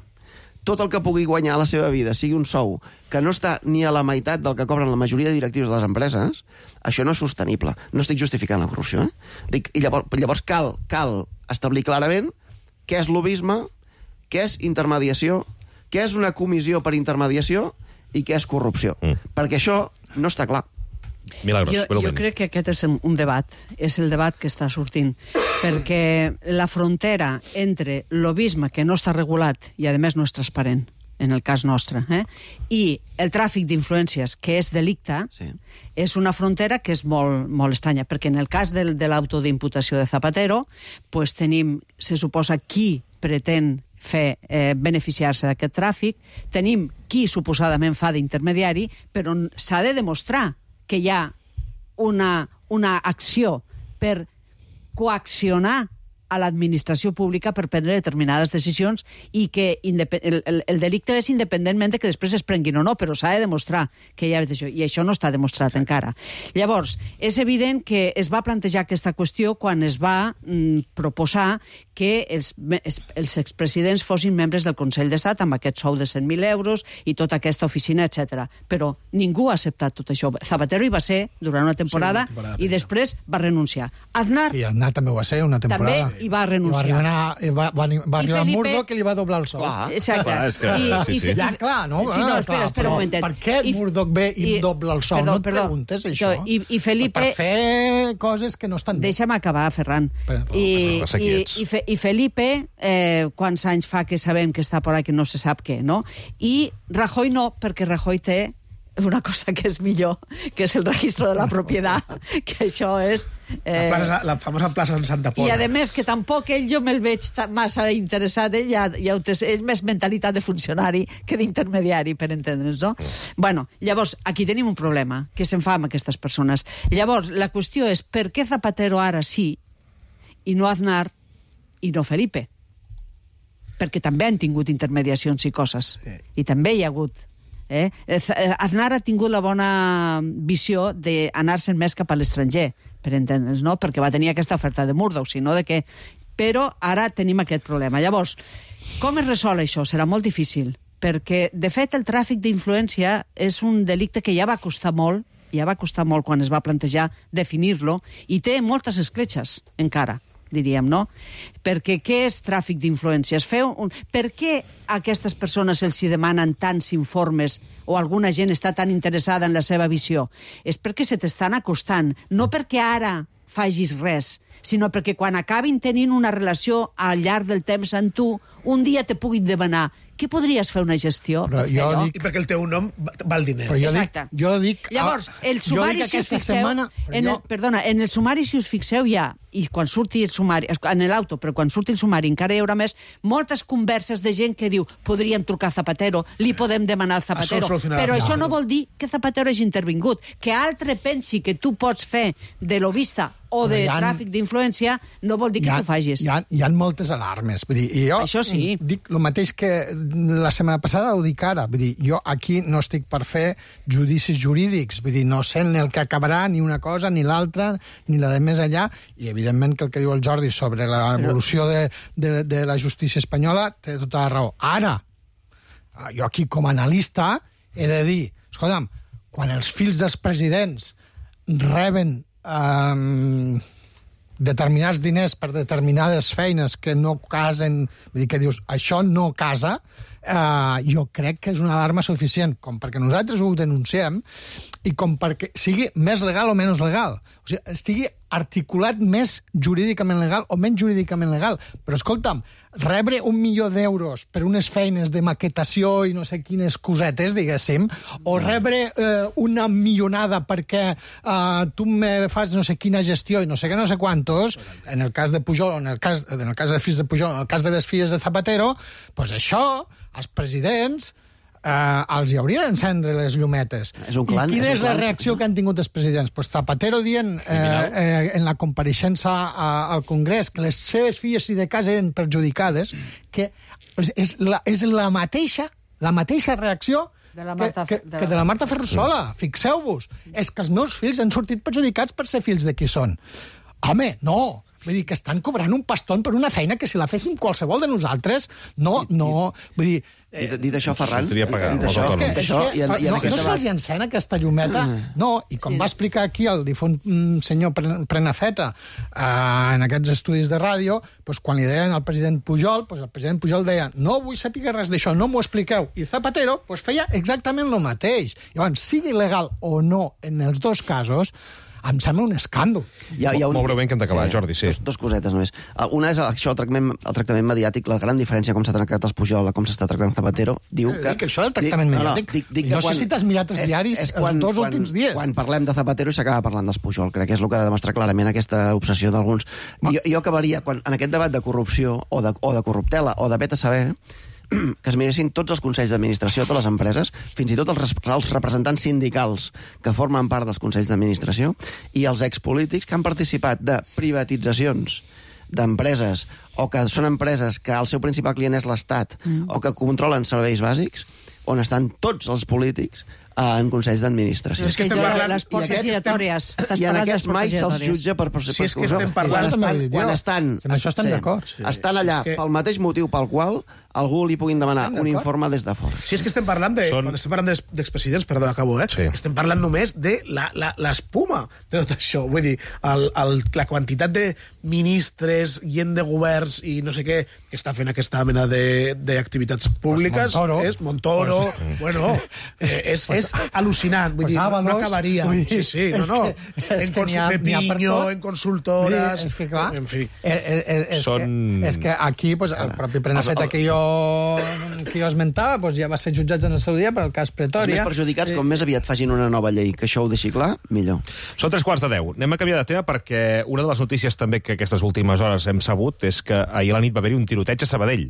tot el que pugui guanyar a la seva vida sigui un sou que no està ni a la meitat del que cobren la majoria de directius de les empreses, això no és sostenible. No estic justificant la corrupció, I llavors cal establir clarament què és lobisme, què és intermediació, què és una comissió per intermediació i què és corrupció. Perquè això no està clar. Milagros, jo crec que aquest és un debat, és el debat que està sortint, perquè la frontera entre lobisme, que no està regulat i a més no és transparent, en el cas nostre, i el tràfic d'influències, que és delicte, és una frontera que és molt, molt estranya, perquè en el cas de l'auto d'imputació de Zapatero, pues tenim, se suposa, qui pretén beneficiar-se d'aquest tràfic, tenim qui suposadament fa d'intermediari, però s'ha de demostrar que hi ha una acció per coaccionar a l'administració pública per prendre determinades decisions i que el delicte és independentment de que després es prenguin o no, però s'ha de demostrar que hi ha això, i això no està demostrat encara. Llavors, és evident que es va plantejar aquesta qüestió quan es va proposar que els expresidents fossin membres del Consell d'Estat amb aquest sou de 100.000 euros i tota aquesta oficina, etc. Però ningú ha acceptat tot això. Zapatero hi va ser durant una temporada i després va renunciar. Aznar... Sí, Aznar també ho va ser una temporada. També hi va renunciar. Va arribar Murdoch que li va doblar el sou. Exacte. Ja, clar, no? Sí, no, espera un momentet. Per què Murdoch ve i dobla el sou? No et preguntes això? I Felipe... Per fer coses que no estan bé. Deixa'm acabar, Ferran. I Felipe, quants anys fa que sabem que està por aquí, no se sap què, no? I Rajoy no, perquè Rajoy té una cosa que és millor, que és el registre de la propietat, que això és... La famosa plaça en Santa Pola. I a més que tampoc jo me'l veig massa interessat, és més mentalitat de funcionari que d'intermediari, per entendre'ns, no? Bueno, llavors, aquí tenim un problema, que se'n fa amb aquestes persones. Llavors, la qüestió és per què Zapatero ara sí i no Aznar i no Felipe? Perquè també han tingut intermediacions i coses. I també hi ha hagut... Aznar ha tingut la bona visió d'anar-se'n més cap a l'estranger, per entendre'ns, no? Perquè va tenir aquesta oferta de Murdoch, sinó de que... Però ara tenim aquest problema. Llavors, com es resol això? Serà molt difícil, perquè, de fet, el tràfic d'influència és un delicte que ja va costar molt quan es va plantejar definir-lo, i té moltes escletxes encara, diríem, no? Perquè què és tràfic d'influències? Per què a aquestes persones els hi demanen tants informes o alguna gent està tan interessada en la seva visió? És perquè se t'estan acostant, no perquè ara facis res, sinó perquè quan acabin tenint una relació al llarg del temps amb tu, un dia te puguin demanar què podries fer una gestió? I perquè el teu nom val diners. Exacte. Llavors, el sumari, si us fixeu... en el sumari, si us fixeu, hi ha, i quan surti el sumari, en l'auto, però quan surti el sumari encara hi haurà més, moltes converses de gent que diu podríem trucar a Zapatero, li podem demanar a Zapatero, però això no vol dir que Zapatero hagi intervingut. Que altre pensi que tu pots fer de lobista o de tràfic d'influència no vol dir que tu facis. Hi ha moltes alarmes. Vull dir, jo això sí. Dic el mateix que la setmana passada, ho dic ara. Vull dir, jo aquí no estic per fer judicis jurídics. Vull dir, no sé en el que acabarà ni una cosa, ni l'altra, ni la de més enllà. I, evidentment, que el que diu el Jordi sobre l'evolució de la justícia espanyola té tota la raó. Ara, jo aquí, com a analista, he de dir, escolta'm, quan els fills dels presidents reben determinats diners per determinades feines que no casen, vull dir que dius, això no casa, jo crec que és una alarma suficient, com perquè nosaltres ho denunciem i com perquè sigui més legal o menys legal. O sigui, estigui articulat més jurídicament legal o menys jurídicament legal. Però, escolta'm, rebre 1 milió d'euros per unes feines de maquetació i no sé quines cosetes, diguéssim, o rebre una milionada perquè tu me fas no sé quina gestió i no sé què, no sé quantos, en el cas de Pujol, en el cas de fills de Pujol, en el cas de les filles de Zapatero, doncs això, els presidents els hi hauria d'encendre les llumetes. És un clan, I quina és un és la clan. reacció que han tingut els presidents? Pues Zapatero dient en la compareixença al Congrés que les seves filles i de casa eren perjudicades, que és la mateixa reacció de la Marta Ferrusola. Fixeu-vos, és que els meus fills han sortit perjudicats per ser fills de qui són. Home, no! Vull dir, que estan cobrant un pastón per una feina que si la féssim qualsevol de nosaltres, no. Vull dir... Dit això, Ferran... No se'ls encena aquesta llumeta? No, i com va explicar aquí el difunt senyor Prenafeta en aquests estudis de ràdio, quan li deien al president Pujol, el president Pujol deia no vull saber res d'això, no m'ho expliqueu. I Zapatero feia exactament el mateix. Llavors, sigui legal o no en els dos casos, em sembla un escàndol. Molt breument que hem d'acabar, Jordi, sí. Dos cosetes només. Una és això, el tractament mediàtic, la gran diferència com s'ha tractat els Pujol, com s'està tractant Zapatero, diu que... Que això del tractament mediàtic, no sé si t'has mirat els diaris els dos últims dies. Quan parlem de Zapatero i s'acaba parlant dels Pujol, crec que és el que ha de demostrar clarament aquesta obsessió d'alguns. Jo acabaria, en aquest debat de corrupció, o de corruptela, o de vet a saber, que es miressin tots els consells d'administració de totes les empreses, fins i tot els representants sindicals que formen part dels consells d'administració i els expolítics que han participat de privatitzacions d'empreses o que són empreses que el seu principal client és l'Estat o que controlen serveis bàsics, on estan tots els polítics en consells d'administració. És que estem parlant... Les portes giratòries. I en aquests mai se'ls jutja per... Si és que estem parlant... Quan estan... Amb això estem d'acord. Estan allà pel mateix motiu pel qual algú li puguin demanar un informe des de fora. Si és que estem parlant quan estem parlant d'expresidents, perdó, acabo, estem parlant només de l'espuma de tot això. Vull dir, la quantitat de ministres, gent de governs i no sé què, que està fent aquesta mena d'activitats públiques, és Montoro, bueno, és al·lucinant, vull dir, no acabaria. Sí, no. En Pepinho, en consultores... És que, clar, en fi. És que aquí, el propi Prenafeta que jo esmentava, ja va ser jutjat en el seu dia per el cas Pretòria. Els més perjudicats, com més aviat facin una nova llei que això ho deixi clar, millor. Són 3:15. Anem a canviar de tema perquè una de les notícies també que aquestes últimes hores hem sabut és que ahir a la nit va haver-hi un tiroteig a Sabadell.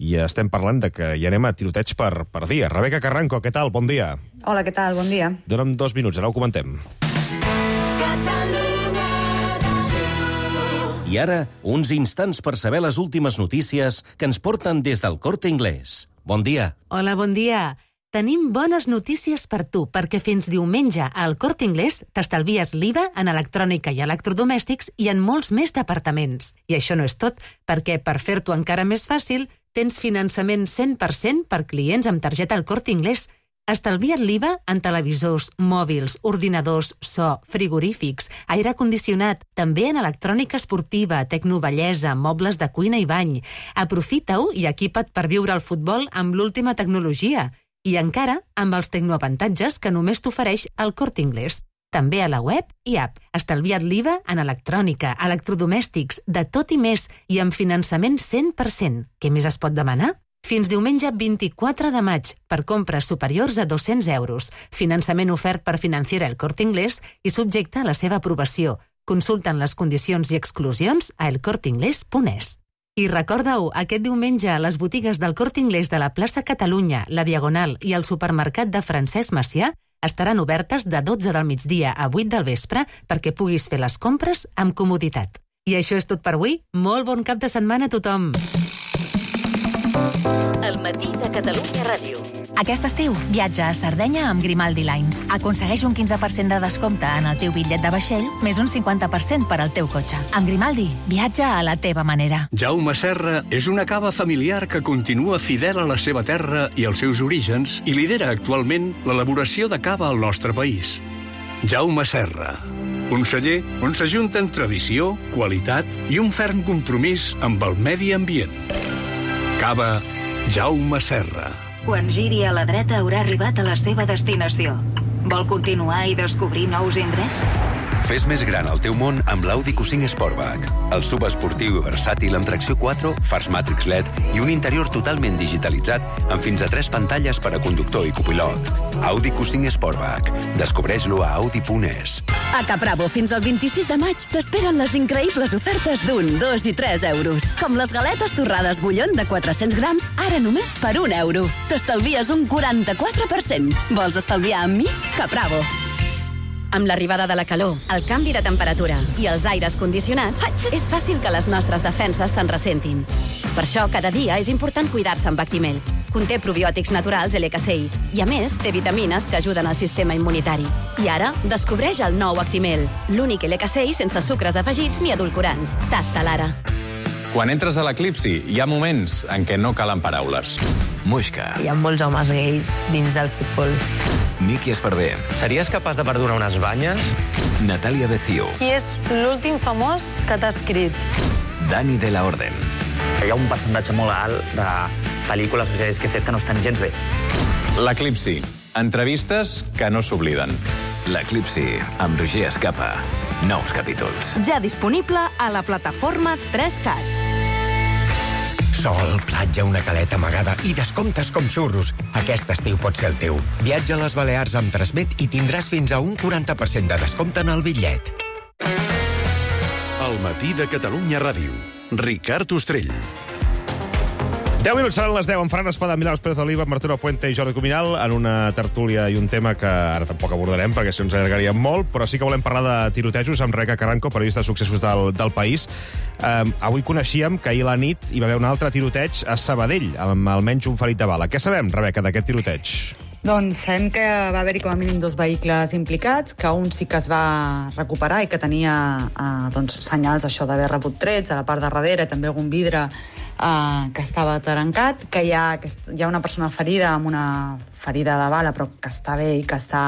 I estem parlant de que ja anem a tiroteig per dia. Rebeca Carranco, què tal? Bon dia. Hola, què tal? Bon dia. Dóna'm 2 minuts, ara ho comentem. I ara, uns instants per saber les últimes notícies que ens porten des del Corte Inglés. Bon dia. Hola, bon dia. Tenim bones notícies per tu, perquè fins diumenge al Corte Inglés t'estalvies l'IVA en electrònica i electrodomèstics i en molts més departaments. I això no és tot, perquè per fer-t'ho encara més fàcil, tens finançament 100% per clients amb targeta al Corte Inglés. Estalvia't l'IVA en televisors, mòbils, ordinadors, so, frigorífics, aire condicionat, també en electrònica esportiva, tecnobellesa, mobles de cuina i bany. Aprofita-ho i equipa't per viure el futbol amb l'última tecnologia. I encara amb els tecnoavantatges que només t'ofereix el Corte Inglés. També a la web i app. Estalvia't l'IVA en electrònica, electrodomèstics, de tot i més, i amb finançament 100%. Què més es pot demanar? Fins diumenge 24 de maig, per compres superiors a 200 euros. Finançament ofert per Financiera El Corte Inglés i subjecte a la seva aprovació. Consulten les condicions i exclusions a elcorteingles.es. I recorda-ho, aquest diumenge a les botigues del Corte Inglés de la plaça Catalunya, la Diagonal i el supermercat de Francesc Macià estaran obertes de 12 del migdia a 8 del vespre perquè puguis fer les compres amb comoditat. I això és tot per avui. Molt bon cap de setmana a tothom. El matí de Catalunya Ràdio. Aquest estiu, viatja a Sardenya amb Grimaldi Lines. Aconsegueix un 15% de descompte en el teu bitllet de vaixell, més un 50% per al teu cotxe. Amb Grimaldi, viatja a la teva manera. Jaume Serra és una cava familiar que continua fidel a la seva terra i als seus orígens i lidera actualment l'elaboració de cava al nostre país. Jaume Serra, un celler on s'ajunten tradició, qualitat i un ferm compromís amb el medi ambient. Cava Jaume Serra. Quan giri a la dreta haurà arribat a la seva destinació. Vol continuar i descobrir nous indrets? Fes més gran el teu món amb l'Audi Q5 Sportback. El SUV esportiu i versàtil amb tracció 4, fars Matrix LED i un interior totalment digitalitzat amb fins a 3 pantalles per a conductor i copilot. Audi Q5 Sportback. Descobreix-lo a audi.es. A Capravo, fins al 26 de maig, t'esperen les increïbles ofertes d'1, 2 i 3 euros. Com les galetes torrades Gullón de 400 grams, ara només per 1 euro. T'estalvies un 44%. Vols estalviar amb mi? Capravo. Amb l'arribada de la calor, el canvi de temperatura i els aires condicionats, és fàcil que les nostres defenses se'n ressentin. Per això, cada dia és important cuidar-se amb Actimel. Conté probiòtics naturals LCCI i, a més, té vitamines que ajuden al sistema immunitari. I ara, descobreix el nou Actimel, l'únic LCCI sense sucres afegits ni edulcorants. Tasta l'ara. Quan entres a l'Eclipsi, hi ha moments en què no calen paraules. Muixca. Hi ha molts homes gais dins del futbol. Miki Esparvé. Series capaç de perdonar unes banyes? Natàlia Becío. Qui és l'últim famós que t'ha escrit? Dani de la Orden. Hi ha un percentatge molt alt de pel·lícules o sèries que he fet que no estan gens bé. L'Eclipsi. Entrevistes que no s'obliden. L'Eclipsi, amb Roger Escapa. Nous capítols. Ja disponible a la plataforma 3CAT. Sol, platja, una caleta amagada i descomptes com xurros. Aquest estiu pot ser el teu. Viatja a les Balears amb Transmet i tindràs fins a un 40% de descompte en el bitllet. El matí de Catalunya Ràdio. Ricard Ostrell. 10 minuts seran les 10 amb Fran Espada, Milagros Pérez Oliva, Martino Puente i Jordi Cuminal en una tertúlia i un tema que ara tampoc abordarem perquè si ens allargaríem molt, però sí que volem parlar de tirotejos amb Rebeca Carranco, periodista de successos del País. Avui coneixíem que ahir a la nit hi va haver un altre tiroteig a Sabadell, amb almenys un ferit de bala. Què sabem, Rebeca, d'aquest tiroteig? Doncs sabem que va haver-hi com a mínim 2 vehicles implicats, que un sí que es va recuperar i que tenia senyals això d'haver rebut trets a la part de darrere, també algun vidre que estava trencat, que hi ha una persona ferida amb una ferida de bala però que està bé i que està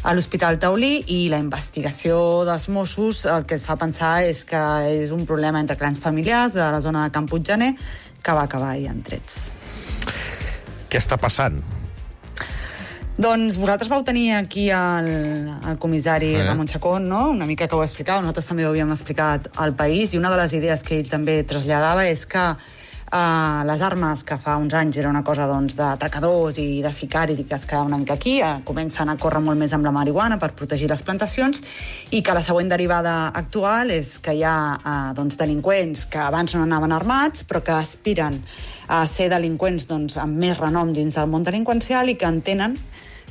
a l'Hospital Taulí, i la investigació dels Mossos el que es fa pensar és que és un problema entre clans familiars de la zona de Can Puiggener que va acabar ahir en trets. Què està passant? Doncs vosaltres vau tenir aquí el comissari Ramon Chacón, no? Una mica que ho explicava, nosaltres també ho havíem explicat al País, i una de les idees que ell també traslladava és que les armes, que fa uns anys era una cosa d'atracadors i de sicaris i que es quedava una mica aquí, comencen a córrer molt més amb la marihuana per protegir les plantacions, i que la següent derivada actual és que hi ha delinqüents que abans no anaven armats però que aspiren a ser delinqüents amb més renom dins del món delinqüencial i que entenen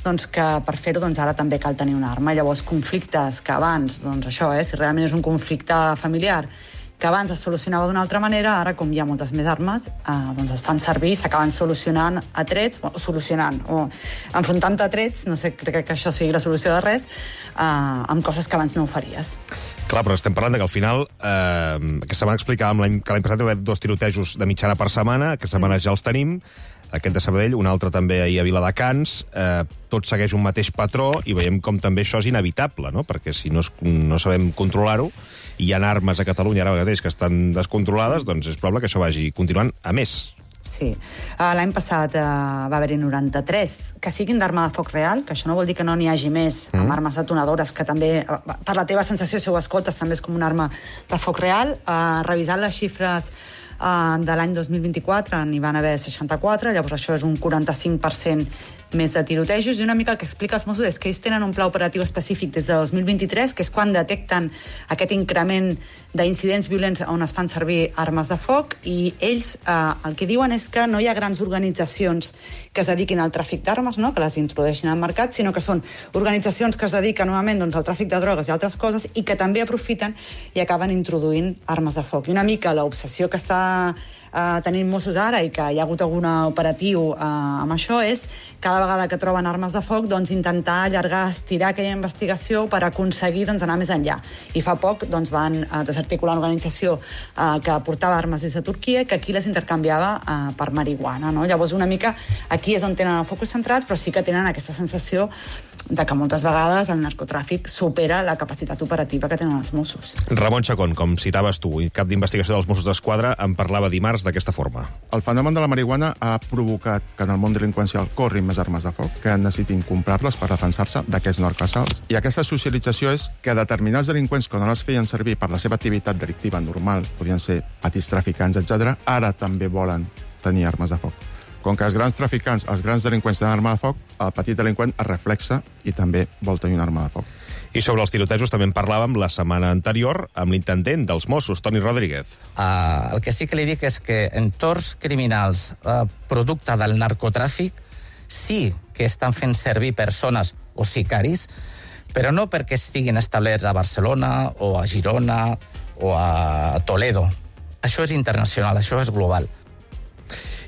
que per fer-ho ara també cal tenir una arma. Llavors, conflictes que abans, si realment és un conflicte familiar, que abans es solucionava d'una altra manera, ara, com hi ha moltes més armes, es fan servir i s'acaben solucionant a trets, o enfrontant a trets, no sé, crec que això sigui la solució de res, amb coses que abans no ho faries. Clar, però estem parlant que al final, aquesta setmana explicàvem que l'any passat hi va haver 2 tirotejos de mitjana per setmana, aquesta setmana ja els tenim, aquest de Sabadell, un altre també ahir a Viladecans, tot segueix un mateix patró i veiem com també això és inevitable, no? Perquè si no sabem controlar-ho, i hi ha armes a Catalunya ara mateix que estan descontrolades, doncs és probable que això vagi continuant a més. Sí. L'any passat va haver-hi 93 que siguin d'arma de foc real, que això no vol dir que no n'hi hagi més amb armes detonadores, que també, per la teva sensació, si ho escoltes, també és com una arma de foc real. Revisant les xifres de l'any 2024 n'hi van haver 64, llavors això és un 45% més de tirotejos, i una mica el que explica els Mossos és que ells tenen un pla operatiu específic des de 2023, que és quan detecten aquest increment d'incidents violents on es fan servir armes de foc, i ells el que diuen és que no hi ha grans organitzacions que es dediquin al tràfic d'armes, no? Que les introdueixin al mercat, sinó que són organitzacions que es dediquen novament al tràfic de drogues i altres coses, i que també aprofiten i acaben introduint armes de foc. I una mica l'obsessió que està tenint Mossos ara, i que hi ha hagut algun operatiu amb això, és cada vegada que troben armes de foc intentar allargar, estirar aquella investigació per aconseguir anar més enllà. I fa poc van desarticular una organització que portava armes des de Turquia, que aquí les intercanviava per marihuana, no? Llavors una mica aquí és on tenen el focus centrat, però sí que tenen aquesta sensació que moltes vegades el narcotràfic supera la capacitat operativa que tenen els Mossos. Ramon Chacón, com citaves tu, i cap d'investigació dels Mossos d'Esquadra, en parlava dimarts d'aquesta forma. El fenomen de la marihuana ha provocat que en el món delinqüencial corrin més armes de foc, que necessitin comprar-les per defensar-se d'aquests narcoassalts. I aquesta socialització és que determinats delinqüents que no les feien servir per la seva activitat delictiva normal, podien ser petits traficants, etc., ara també volen tenir armes de foc. Com que els grans traficants, els grans delinqüents tenen arma de foc, el petit delinqüent es reflexa i també vol tenir una arma de foc. I sobre els tirotejos també en parlàvem la setmana anterior amb l'intendent dels Mossos, Toni Rodríguez. El que sí que li dic és que entorns criminals producte del narcotràfic sí que estan fent servir persones o sicaris, però no perquè estiguin establerts a Barcelona o a Girona o a Toledo. Això és internacional, això és global.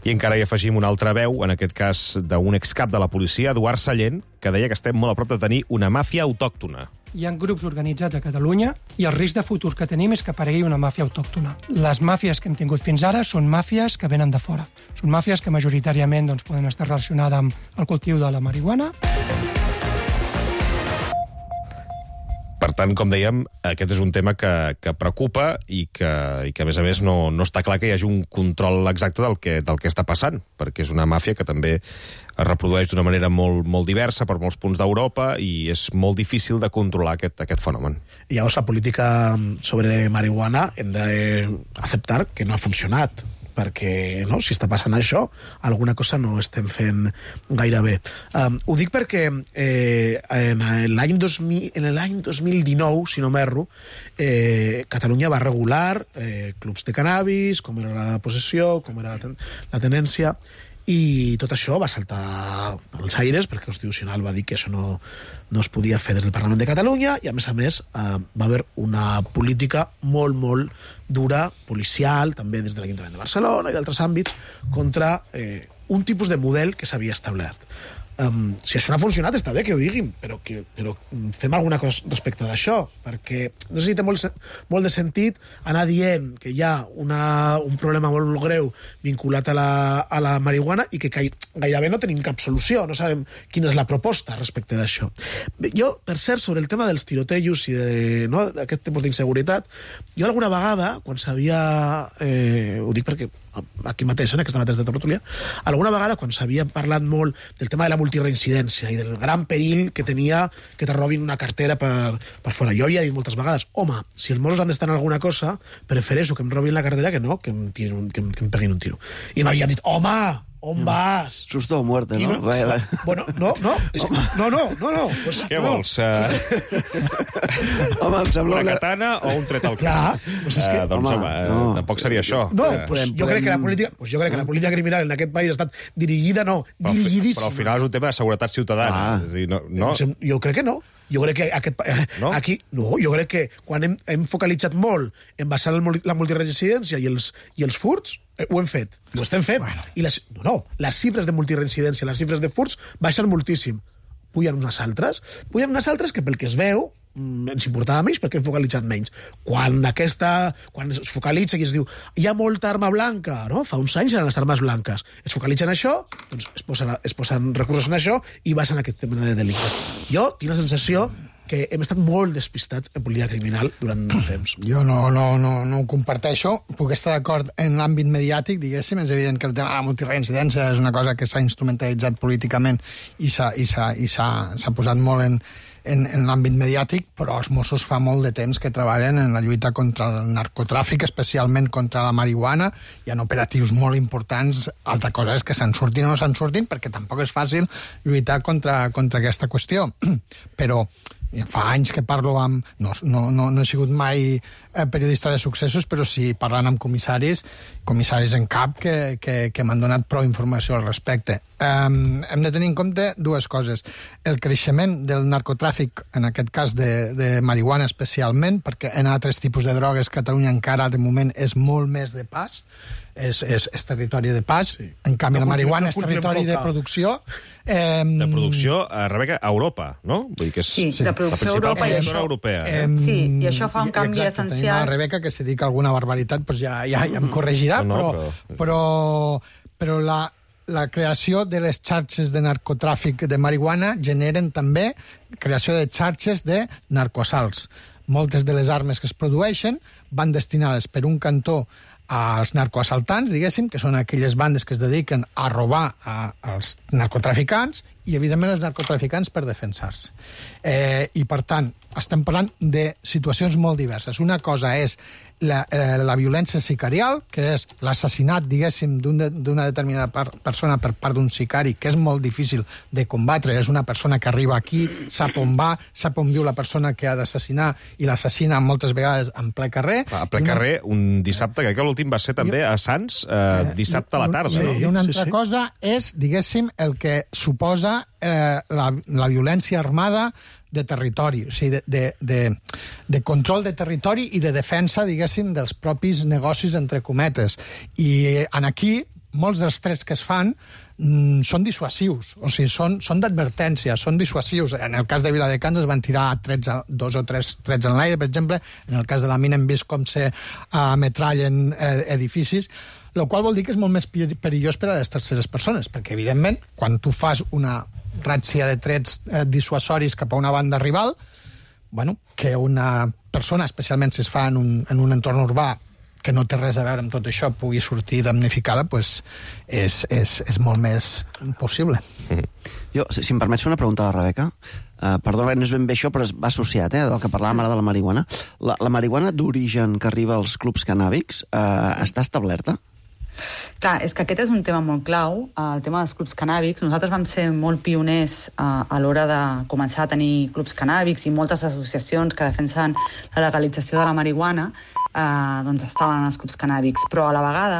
I encara hi afegim una altra veu, en aquest cas d'un excap de la policia, Eduard Sallent, que deia que estem molt a prop de tenir una màfia autòctona. Hi ha grups organitzats a Catalunya i el risc de futur que tenim és que aparegui una màfia autòctona. Les màfies que hem tingut fins ara són màfies que venen de fora. Són màfies que majoritàriament poden estar relacionades amb el cultiu de la marihuana. Per tant, com dèiem, aquest és un tema que preocupa i que, a més a més, no està clar que hi hagi un control exacte del que està passant, perquè és una màfia que també es reprodueix d'una manera molt, molt diversa per molts punts d'Europa i és molt difícil de controlar aquest fenomen. I llavors la política sobre marihuana hem d'acceptar que no ha funcionat, perquè si està passant això, alguna cosa no estem fent gaire bé. Ho dic perquè en l'any 2019, si no m'erro, Catalunya va regular clubs de cannabis, com era la possessió, com era la tenència, i tot això va saltar pels aires perquè el Constitucional va dir que això no es podia fer des del Parlament de Catalunya i, a més, va haver una política molt, molt dura, policial, també des de l'Ajuntament de Barcelona i d'altres àmbits, contra un tipus de model que s'havia establert. Si això no ha funcionat, està bé que ho diguin, però fem alguna cosa respecte d'això, perquè no sé si té molt de sentit anar dient que hi ha un problema molt greu vinculat a la marihuana i que gairebé no tenim cap solució, no sabem quina és la proposta respecte d'això. Jo, per cert, sobre el tema dels tirotejos i d'aquest tipus d'inseguretat, jo alguna vegada, quan s'havia... ho dic perquè aquí mateix, en aquesta mateixa tertúlia, alguna vegada, quan s'havia parlat molt del tema de la multireincidència i del gran perill que tenia que te robin una cartera per fora. Jo havia dit moltes vegades, home, si els Mossos han d'estar en alguna cosa, prefereixo que em robin la cartera que no, que em peguin un tiro. I m'havien dit, home, on vas? Susto o muerte, no? Bueno, no. Pues, què vols? Home, em sembla una katana o un tret al cap? Clar, pues és que... Tampoc seria això. No, jo crec que la política criminal en aquest país ha estat dirigida, dirigidíssima. Però al final és un tema de seguretat ciutadana. És a dir, no. Jo crec que no. Jo crec que jo crec que quan hem focalitzat molt en basar la multiresidència i els furts, ho hem fet, ho estem fent. I les xifres de multireincidència, les xifres de furts baixen moltíssim. Pugen unes altres que pel que es veu ens importava menys perquè hem focalitzat menys. Quan es focalitza i es diu hi ha molta arma blanca, no? Fa uns anys eren les armes blanques. Es focalitza en això, doncs es posen recursos en això i baixen aquest tema de delictes. Jo tinc la sensació que hem estat molt despistats en política criminal durant un temps. Jo no ho comparteixo. Puc estar d'acord en l'àmbit mediàtic, diguéssim. És evident que el tema de la multireincidència és una cosa que s'ha instrumentalitzat políticament i s'ha posat molt en l'àmbit mediàtic, però els Mossos fa molt de temps que treballen en la lluita contra el narcotràfic, especialment contra la marihuana. Hi ha operatius molt importants. Altra cosa és que se'n surtin o no se'n surtin, perquè tampoc és fàcil lluitar contra aquesta qüestió. Però fa anys que parlo amb... No he sigut mai periodista de successos, però sí parlant amb comissaris en cap que m'han donat prou informació al respecte. Hem de tenir en compte dues coses. El creixement del narcotràfic, en aquest cas de marihuana especialment, perquè en altres tipus de drogues Catalunya encara de moment és molt més de pas, és territori de pas. Sí. En canvi, la marihuana és territori de producció. De producció, Rebeca, a Europa, no? Vull dir que és de producció a Europa i això. Europea. Sí, i això fa un canvi essencial. La Rebeca, que si dic alguna barbaritat, doncs ja em corregirà, però la creació de les xarxes de narcotràfic de marihuana generen també creació de xarxes de narcoassalts. Moltes de les armes que es produeixen van destinades per un cantó als narcoassaltants, diguéssim, que són aquelles bandes que es dediquen a robar als narcotraficants i, evidentment, els narcotraficants per defensar-se. I, per tant, estem parlant de situacions molt diverses. Una cosa és la violència sicarial, que és l'assassinat, diguéssim, d'una determinada persona per part d'un sicari, que és molt difícil de combatre. És una persona que arriba aquí, sap on va, sap on viu la persona que ha d'assassinar i l'assassina moltes vegades en ple carrer. A ple carrer, un dissabte, que l'últim va ser també a Sants, dissabte a la tarda. Sí, i una altra cosa és, diguéssim, el que suposa la violència armada de territori, o sigui, de control de territori i de defensa, diguéssim, dels propis negocis, entre cometes. I aquí, molts dels trets que es fan són dissuasius, o sigui, són d'advertència, són dissuasius. En el cas de Viladecans es van tirar 2 o 3 trets en l'aire, per exemple. En el cas de la mina hem vist com se ametrallen edificis, el qual vol dir que és molt més perillós per a les terceres persones, perquè, evidentment, quan tu fas una ràtzia de trets dissuasoris cap a una banda rival, bueno, que una persona, especialment si es fa en un entorn urbà que no té res a veure amb tot això, pugui sortir damnificada, pues és molt més possible. Jo, si em permets fer una pregunta a la Rebeca, perdona, no és ben bé això, però va associat, del que parlàvem ara de la marihuana. La marihuana d'origen que arriba als clubs cannàbics està establerta? Clar, és que aquest és un tema molt clau, el tema dels clubs cannàbics. Nosaltres vam ser molt pioners a l'hora de començar a tenir clubs cannàbics i moltes associacions que defensen la legalització de la marihuana doncs estaven en els clubs cannàbics, però a la vegada